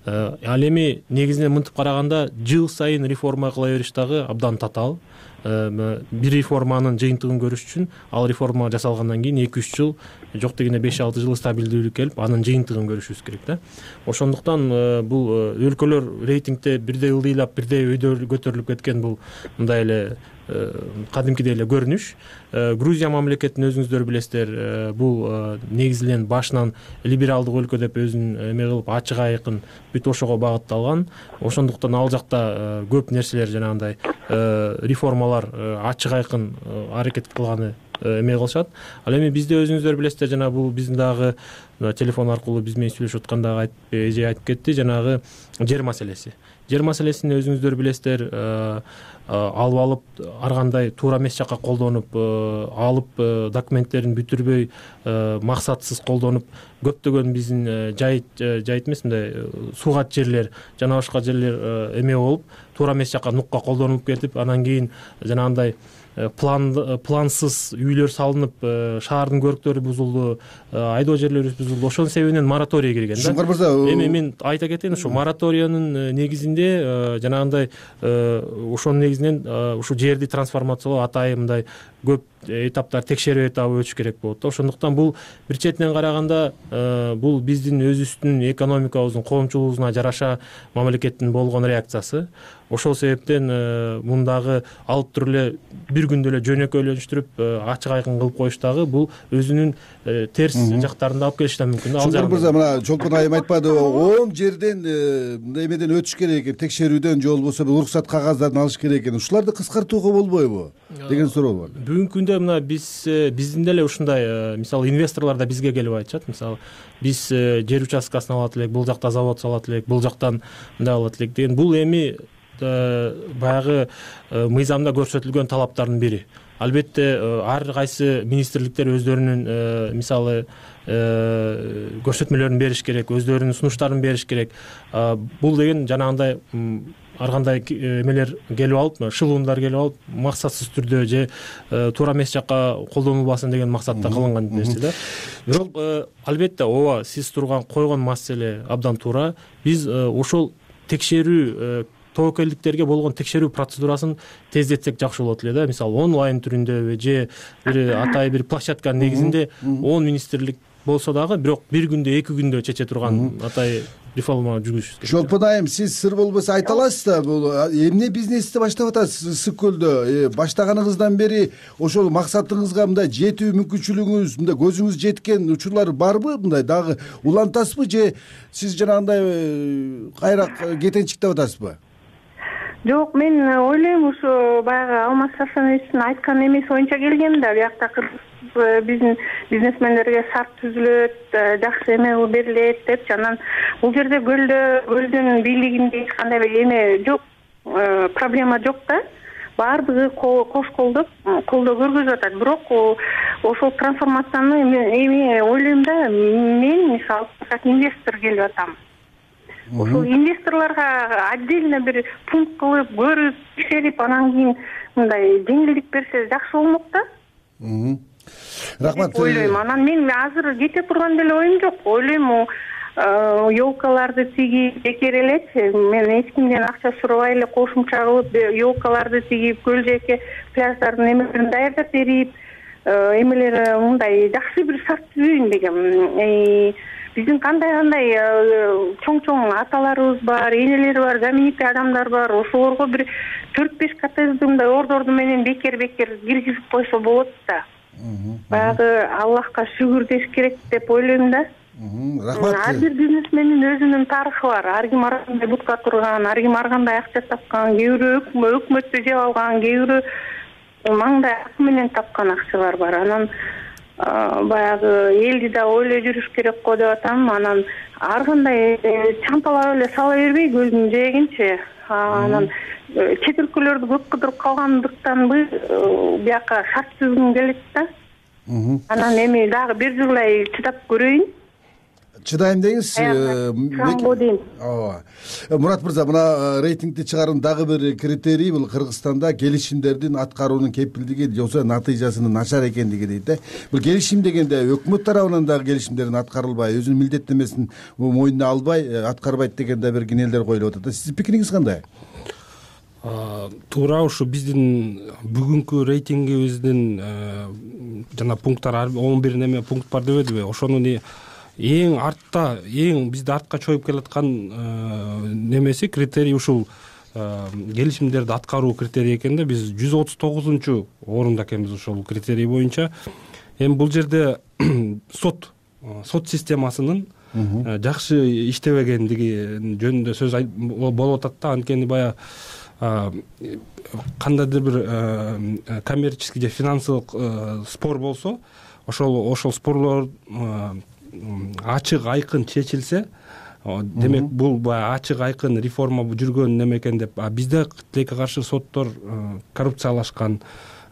Ал эми негизинен мынтип караганда, жыл сайын реформа кыла бериш дагы абдан татаал. бир реформанын жыйынтыгын көрүш үчүн ал реформа жасалгандан кийин 2-3 жыл, жок дегенде 5-6 жыл стабилдүүлүк келип, анын жыйынтыгын көрүшүбүз керек да. Ошондуктан бул өлкөлөр рейтингде бирдей ылдыйлап, бирдей өйдө көтөрүлүп кеткен бул мындай эле кадимкидей эле көрүнүш. Грузия мамлекетин өзүңүздөр билесиздер, бул негизинен башынан либералдык өлкө деп өзүн эме кылып, ачык айкын бүт ошого багытталган. Ошондуктан ал жакта көп нерселер жанагындай реформалар ачык айкын аракет кылганы эме кылышат. Ал эми бизде өзүңүздөр билесиздер, жана бул биздин дагы телефон аркылуу биз менен сүйлөшүп атканда эже айтып кетти, жанагы жер маселеси. Жер маселесин өзүңүздөр билесиздер, алып ар кандай туура эмес жакка колдонуп, алып документтерин бүтүрбөй, максатсыз колдонуп, көптөгөн биздин жайыт эмес, мындай суугат жерлер, жана башка жерлер эме болуп, туура эмес жакка нукка колдонулуп кетип, анан кийин жанагындай плансыз үйлөр салынып, шаардын көрктөрү бузулду, айдоо жерлерибиз бузулду. Ошонун себебинен мораторий кирген да. Шуңкар мырза, эми мен айта кетейин, ушу мораториянын негизинде жанагындай ошонун негизинен ушу жерди трансформациялоо атайын мындай көп этаптар, текшерүү этабы өтүш керек болот да. Ошондуктан бул бир четинен караганда бул биздин өзүбүздүн экономикабыздын, коомчулугубузуна жараша мамлекеттин болгон реакциясы. Ошол себептен мундагы алып туруп эле бир күндө эле жөнөкөйлөштүрүп ачык айкын кылып коюш дагы бул өзүнүн терс жактарын алып келиши да мүмкүн. Шуңкар мырза, мына Чолпон айым айтпады, 10 жерден мындай эмеден өтүш керек экен, текшерүүдөн же болбосо уруксат кагаздарын алыш керек экен. Ушуларды кыскартууга болбойбу деген суроо бар. Бүгүнкү күндө мына биздин деле ушундай, мисалы инвесторлор да бизге келип айтышат. Мисалы биз жер участкасын алат элек, бул жакта завод салат элек, бул жактан мындай алат элек деген. Бул эми баягы мыйзамда көрсөтүлгөн талаптардын бири. Албетте ар кайсы министрликтер өздөрүнүн мисалы көрсөтмөлөрүн бериш керек, өздөрүнүн сунуштарын бериш керек. Бул деген жанагындай ар кандай эмелер келип алып, шылуундар келип алып, максатсыз түрдө же туура эмес жакка колдонулбасын деген максатта кылынган нерсе да. Бирок албетте ооба, сиз койгон маселе абдан туура. Биз ошол текшерүү, тобокелдиктерге болгон текшерүү процедурасын тездетсек жакшы болот эле да. Мисалы онлайн түрүндө же бир атайын бир площадканын негизинде 10 министрлик болсо дагы, бирок бир күндө, 2 күндө чече турган атайын реформа жүргүзүш керек. Чолпон айым, сиз сыр болбосо айта аласыз да, бул эмне бизнести баштап атасыз ысык көлдө? Баштаганыңыздан бери ошол максатыңызга мындай жетүү мүмкүнчүлүгүңүз, мындай көзүңүз жеткен учурлар барбы? Мындай дагы улантасызбы же сиз жанагындай кайра кетенчиктеп атасызбы? Жок, мен ойлойм, ушу баягы Алмаз Сарсановичтин айткан эмеси боюнча келгем да. Биякта биздин бизнесмендерге шарт түзүлөт, жакшы эме берилет деп, анан бул жерде көлдүн бийлигинде эч кандай эме жок, проблема жок да. Баардыгы кош колдоо көргөзүп атат. Бирок ошол трансформацияны эми ойлойм да, мен мисалы как инвестор келип атам. Ошол инвесторлорго отдельно бир пункт кылып, көрүп, текшерип, анан кийин мындай жеңилдик берсе жакшы болмок да. Рахмат. Ойлойм. Анан мен азыр кете турган деле оюм жок. Ойлойм, елкаларды тигип, бекер элечи. Мен эч кимден акча сурабай эле кошумча кылып, елкаларды тигип, көл жээкке пляждардын эмелерин даярдап берип, эмелер мындай жакшы бир шарт түзөйүн дегем. Биздин кандай чоң аталарыбыз бар, энелер бар, знаменитый адамдар бар. Ошолорго бир 4-5 коттеджди мындай ордорду менен бекер киргизип койсо болот да. Баягы Аллахка шүгүр деш керек деп ойлойм да. Рахмат. Ар бир бизнесмендин өзүнүн тарыхы бар. Ар ким ар кандай бутка турган, ар ким ар кандай акча тапкан, кээ бирөө өкмөттү жеп алган, кээ бирөө маңдай акы менен тапкан акчалар бар. Анан баягы элди да ойлой жүрүш керек го деп атам. Анан ар кандай чампалап эле сала бербей көлдүн жээгинчи. Анан чет өлкөлөрдү көп кыдырып калгандыктанбы бияка шарт түзгүм келет да. Анан эми дагы бир жылдай чыдап көрөйүн. Чыдайм деңиз. Ооба. Мурат мырза, мына рейтингди чыгаруунун дагы бир критерийи бул Кыргызстанда келишимдердин аткаруунун кепилдиги же натыйжасынын начар экендиги дейт да. Бул келишим дегенде өкмөт тарабынан дагы келишимдердин аткарылбай, өзүнүн милдеттенмесин мойнуна албай, аткарбайт деген да бир кинелер коюлуп атат. Сиздин пикириңиз кандай? туура ушу биздин бүгүнкү рейтингибиздин жана пункттар 11 неме пункт бар дебедиби, ошонун эң артта, эң бизди артка чоюп келаткан немеси критерий ушул келишимдерди аткаруу критерийи экен да. Биз 139 орунда экенбиз ошол критерий боюнча. Эми бул жерде сот системасынын жакшы иштебегендиги жөнүндө сөз болуп атат да. Анткени баягы кандайдыр бир коммерческий же финансылык спор болсо, ошол спорлор ачык айкын чечилсе, демек бул баягы ачык айкын реформа жүргөн неме экен деп. Бизде тилекке каршы соттор коррупциялашкан,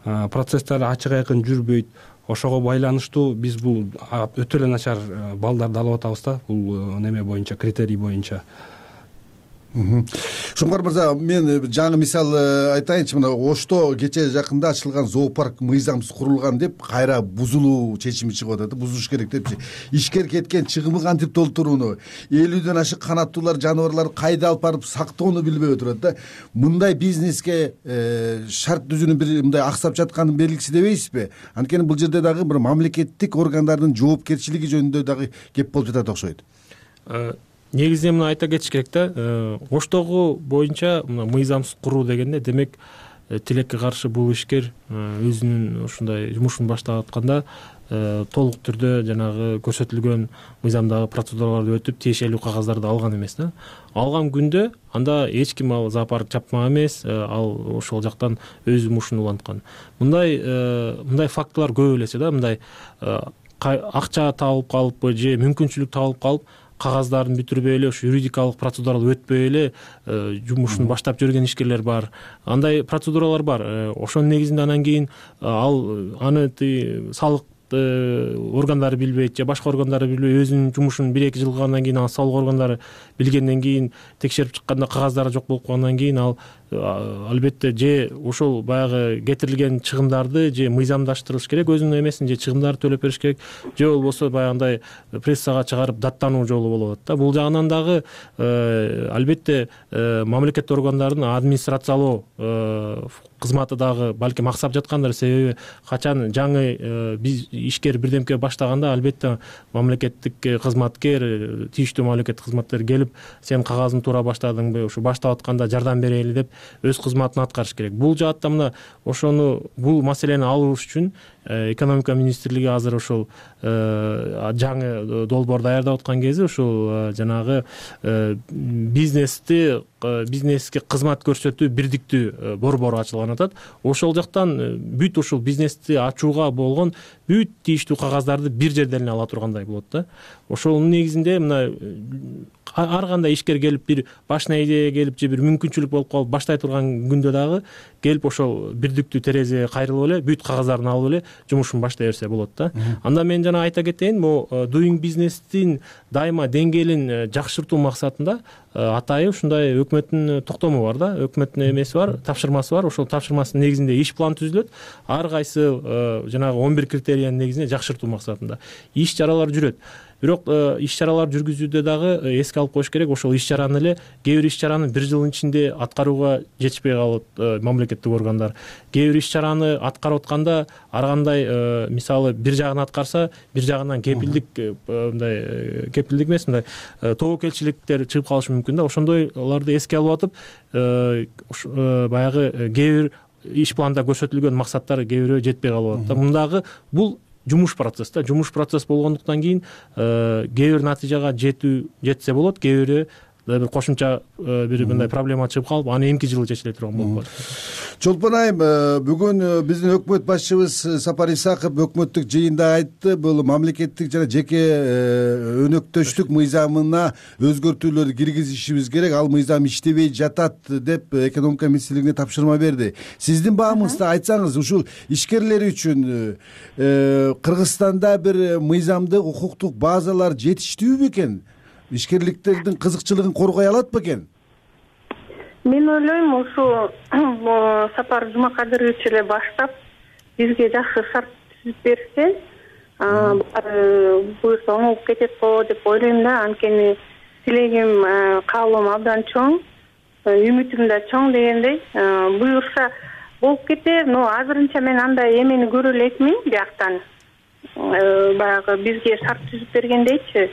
процесстер ачык айкын жүрбөйт. Ошого байланыштуу биз бул өтө эле начар балдарды алып атабыз да, бул неме боюнча, критерий боюнча. Шуңкар мырза, мен жаңы мисал айтайынчы. Мына Ошто кече жакында ачылган зоопарк мыйзамсыз курулган деп кайра бузулуу чечими чыгып атат. Бузуш керек депчи. Ишкер кеткен чыгымы кантип толтурууну, 50ден ашык канаттуулар жаныбарларды кайда алып барып сактоону билбей отурат да. Мындай бизнеске шарт түзүүнүн бир мындай аксап жатканын белгиси дебейсизби? Анткени бул жерде дагы бир мамлекеттик органдардын жоопкерчилиги жөнүндө дагы кеп болуп жатат окшойт. Негизинен мына айта кетиш керек да, Оштогу боюнча мына мыйзамсыз куруу дегенде, демек тилекке каршы бул ишкер өзүнүн ушундай жумушун баштап атканда толук түрдө жанагы көрсөтүлгөн мыйзамдагы процедураларды өтүп, тиешелүү кагаздарды алган эмес да. Алган күндө анда эч ким ал зоопарк чапмак эмес, ал ошол жактан өз жумушун уланткан. Мындай фактылар көп элесе да, мындай акча табылып калыппы же мүмкүнчүлүк табылып калып, кагаздарын бүтүрбөй эле, ушу юридикалык процедураларды өтпөй эле жумушун баштап жүргөн ишкерлер бар. Андай процедуралар бар. Ошонун негизинде анан кийин аны салык органдары билбейт же башка органдары билбей, өзүнүн жумушун 1-2 жыл кылгандан кийин ал салык органдары билгенден кийин текшерип чыкканда кагаздары жок болуп калгандан кийин ал албетте же ошол баягы кетирилген чыгымдарды же мыйзамдаштырыш керек, өзүнүн эмесин же чыгымдарды төлөп бериш керек, же болбосо баягындай прессага чыгарып даттануу жолу болуп атат да. Бул жагынан дагы албетте мамлекеттик органдардын администрациялоо кызматы дагы балким аксап жаткандыр. Себеби качан жаңы ишкер бирдемке баштаганда албетте мамлекеттик кызматкер, тийиштүү мамлекеттик кызматкер келип, сен кагазың туура баштадыңбы, ушу баштап атканда жардам берели деп өз кызматын аткарыш керек. Бул жаатта мына бул маселени алуу үчүн экономика министрлиги азыр ошол жаңы долбоор даярдап аткан кези ушул жанагы бизнеске кызмат көрсөтүү бирдиктүү борбору ачылган атат. Ошол жактан бүт ушул бизнести ачууга болгон бүт тийиштүү кагаздарды бир жерден эле ала тургандай болот да. Ошонун негизинде мына ар кандай ишкер келип, бир башына идея келип же бир мүмкүнчүлүк болуп калып баштай турган күндө дагы келип ошол бирдиктүү терезеге кайрылып эле бүт кагаздарын алып эле жумушун баштай берсе болот да. Анда мен жана айта кетейин, бул doing business'тин дайыма деңгээлин жакшыртуу максатында атайын ушундай өкмөттүн токтому бар да, өкмөттүн эмеси бар, тапшырмасы бар. Ошол тапшырмасынын негизинде иш план түзүлөт. Ар кайсы жанагы 11 критериянын негизинде жакшыртуу максатында иш чаралар жүрөт. Бирок иш чаралар жүргүзүүдө дагы эске алып коюш керек, ошол иш чараны эле кээ бир иш чараны 1 жылдын ичинде аткарууга жетишпей калат мамлекеттик органдар. Кээ бир иш чараны аткарып атканда ар кандай мисалы бир жагын аткарса, бир жагынан кепилдик эмес, мындай тобокелчиликтер чыгып калышы мүмкүн да. Ошондойлорду эске алып атып, баягы кээ бир иш планда көрсөтүлгөн максаттар кээ бирөө жетпей калып атат да. Мындагы бул жумуш процесс да. Жумуш процесс болгондуктан кийин кээ бир натыйжага жетсе болот, кээ бири бир кошумча бир мындай проблема чыгып калып, аны эмки жылы чечиле турган болуп калат. Чолпон айым, бүгүн биздин өкмөт башчыбыз Сапар Исаков өкмөттүк жыйында айтты, бул мамлекеттик жана жеке өнөктөштүк мыйзамына өзгөртүүлөрдү киргизишибиз керек, ал мыйзам иштебей жатат деп экономика министрлигине тапшырма берди. Сиздин баамыңызда айтсаңыз, ушул ишкерлер үчүн Кыргызстанда бир мыйзамдык укуктук базалар жетиштүүбү экен? Ишкерликтердин кызыкчылыгын коргой алат белең? Мен ойлойм, ушу Сапар Жумакадырович эле баштап бизге жакшы шарт түзүп берсе, буюрса оңолуп кетет го деп ойлойм да. Анткени тилегим, каалоом абдан чоң. үмүтүм да чоң дегендей. Буюрса болуп кетер, но азырынча мен андай эмени көрө элекмин бияктан. Баягы бизге шарт түзүп бергендейчи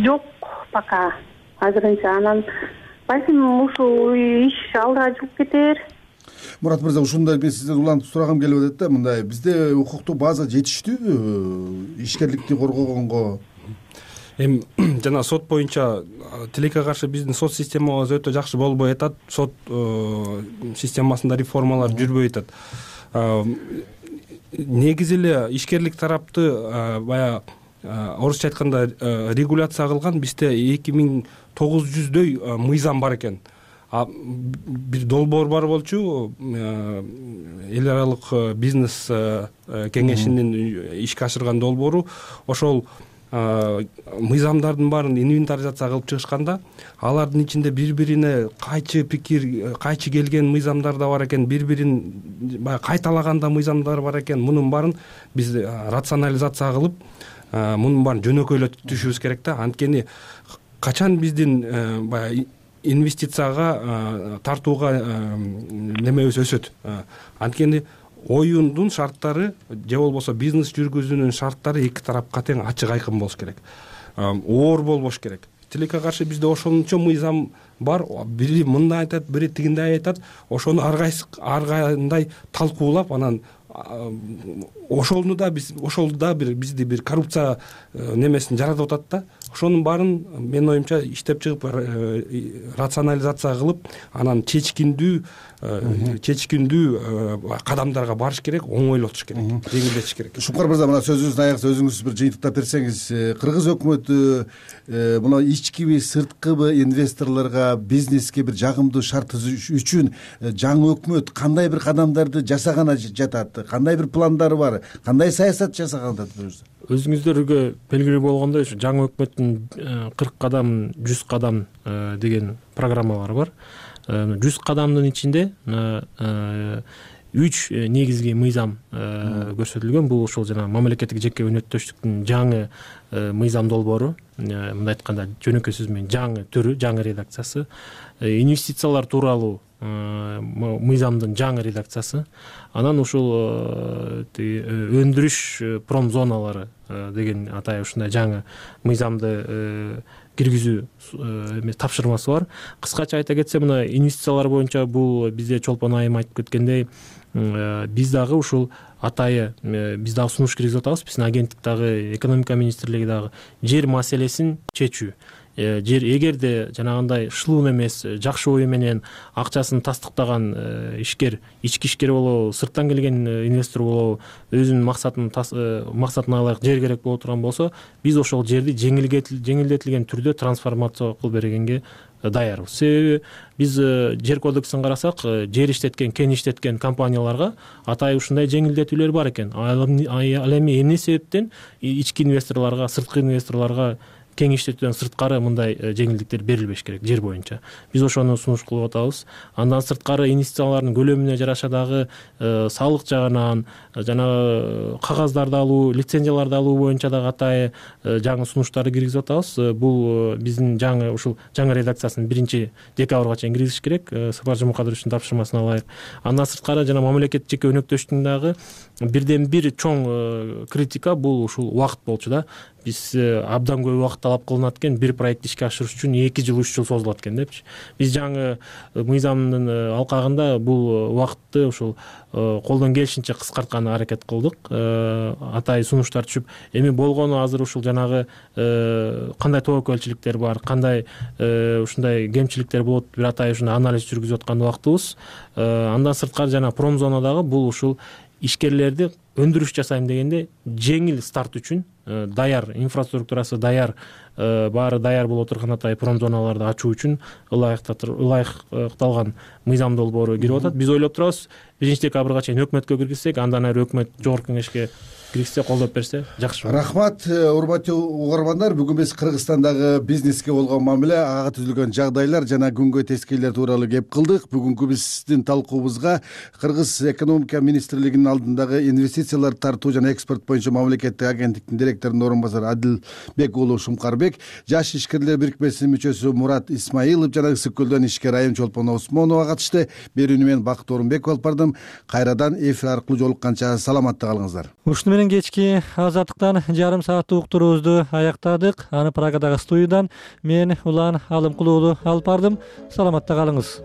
жок пока азырынча. Анан балким ушул иш алга жүрүп кетер. Мурат мырза, ушундай мен сизден улантып сурагым келип атат да, мындай бизде укуктук база жетиштүүбү ишкерликти коргогонго? Эми жана сот боюнча тилекке каршы биздин сот системабыз өтө жакшы болбой атат. Сот системасында реформалар жүрбөй атат. Негизи эле ишкерлик тарапты баягы орусча айтканда регуляция кылган бизде 2900дөй мыйзам бар экен. Бир долбоор бар болчу, эл аралык бизнес кеңешинин ишке ашырган долбоору. Ошол мыйзамдардын баарын инвентаризация кылып чыгышканда, алардын ичинде бири-бирине кайчы пикир, кайчы келген мыйзамдар да бар экен, бири-бирин баягы кайталаганда мыйзамдар бар экен. Мунун баарын биз рационализация кылып, мунун баарын жөнөкөйлөтүшүбүз керек да. Анткени качан биздин баягы инвестицияга тартууга немебиз өсөт. Анткени оюндун шарттары же болбосо бизнес жүргүзүүнүн шарттары эки тарапка тең ачык айкын болуш керек. Оор болбош керек. Тилекке каршы бизде ошончо мыйзам бар. Бири мындай айтат, бири тигиндей айтат. Ошону ар кандай талкуулап, анан ошол да бизди бир коррупция немесин жаратып атат да. Ошонун баарын менин оюмча иштеп чыгып, рационализация кылып, анан чечкиндүү кадамдарга барыш керек, оңойлотуш керек, жеңилдетиш керек. Шукар мырза, мына сөзүңүздүн аягында өзүңүз бир жыйынтыктап берсеңиз, кыргыз өкмөтү мына ичкиби, сырткыбы инвесторлорго, бизнеске бир жагымдуу шарт түзүш үчүн жаңы өкмөт кандай бир кадамдарды жасаганы жатат, кандай бир пландары бар, кандай саясат жасаган жатат? Өзүңүздөргө белгилүү болгондой, ушу жаңы өкмөттүн 40 кадам, 100 кадам деген программалары бар. 100 кадамдын ичинде 3 негизги мыйзам көрсөтүлгөн. Бул ошол жана мамлекеттик жеке өнөктөштүктүн жаңы мыйзам долбоору, мындай айтканда жөнөкөй сөз менен жаңы түрү, жаңы редакциясы, инвестициялар тууралуу мыйзамдын жаңы редакциясы, анан ушул өндүрүш промзоналары деген атай ушундай жаңы мыйзамды киргизүү тапшырмасы бар. Кыскача айта кетсем, мына инвестициялар боюнча бул бизде Чолпон айым айтып кеткендей, биз дагы ушул атайы биз дагы сунуш киргизип атабыз. Биздин агенттик дагы, экономика министрлиги дагы жер маселесин чечүү. Жер эгерде жанагындай шылуун эмес, жакшы ою менен акчасын тастыктаган ишкер, ички ишкер болобу, сырттан келген инвестор болобу, өзүнүн максатына ылайык жер керек боло турган болсо, биз ошол жерди жеңилдетилген түрдө трансформация кылып бергенге даярбыз. Себеби биз жер кодексин карасак, жер иштеткен, кен иштеткен компанияларга атайы ушундай жеңилдетүүлөр бар экен. Ал эми эмне себептен ички инвесторлорго, сырткы инвесторлорго кең иштетүүдөн сырткары мындай жеңилдиктер берилбеш керек жер боюнча. Биз ошону сунуш кылып атабыз. Андан сырткары инвестициялардын көлөмүнө жараша дагы салык жагынан, жана кагаздарды алуу, лицензияларды алуу боюнча дагы атайы жаңы сунуштарды киргизип атабыз. Бул биздин жаңы ушул жаңы редакциясын 1-декабрга чейин киргизиш керек, Сапар Жумакадыровичтин тапшырмасына ылайык. Андан сырткары жана мамлекеттик жеке өнөктөштүктүн дагы бирден бир чоң критика бул ушул убакыт болчу да. Биз абдан көп убакыт талап кылынат экен, бир проектти ишке ашырыш үчүн 2 жыл, 3 жыл созулат экен депчи. Биз жаңы мыйзамдын алкагында бул убакытты ушул колдон келишинче кыскартканга аракет кылдык. Атайы сунуштар түшүп, эми болгону азыр ушул жанагы кандай тобокөлчүлүктөр бар, кандай ушундай кемчиликтер болот, бир атайы ушундай анализ жүргүзүп аткан убактыбыз. Андан сырткары жана промзонадагы бул ушул ишкерлерди өндүрүш жасайм дегенде жеңил старт үчүн даяр, инфраструктурасы даяр, баары даяр боло турган атайы промзоналарды ачуу үчүн ылайыкталган мыйзам долбоору кирип атат. Биз ойлоп турабыз, 1 декабрга чейин өкмөткө киргизсек, андан ары өкмөт жогорку кеңешке киргизсе, колдоп берсе жакшы. Рахмат, урматтуу угармандар. Бүгүн биз Кыргызстандагы бизнеске болгон мамиле, ага түзүлгөн жагдайлар жана күнгөй тескейлер тууралуу кеп кылдык. Бүгүнкү биздин талкуубузга Кыргыз экономика министрлигинин алдындагы инвестициялар тартуу жана экспорт боюнча мамлекеттик агенттиктин директорунун орун басары Адилбек уулу Шумкарбек, Жаш ишкерлер бирикмесинин мүчөсү Мурат Исмаилов жана Ысык көлдөн ишкер Айым Чолпон Осмонова катышты. Берүүнү мен Бакыт Орунбеков алып бардым. Кайрадан эфир аркылуу жолукканча саламатта калыңыздар. Ушуну менен кечки азаттыктан жарым сааттык уктуруубузду аяктадык. Аны Праgadагы студиядан мен Улан Алымкулуу алып бардым. Саламатта калыңыз.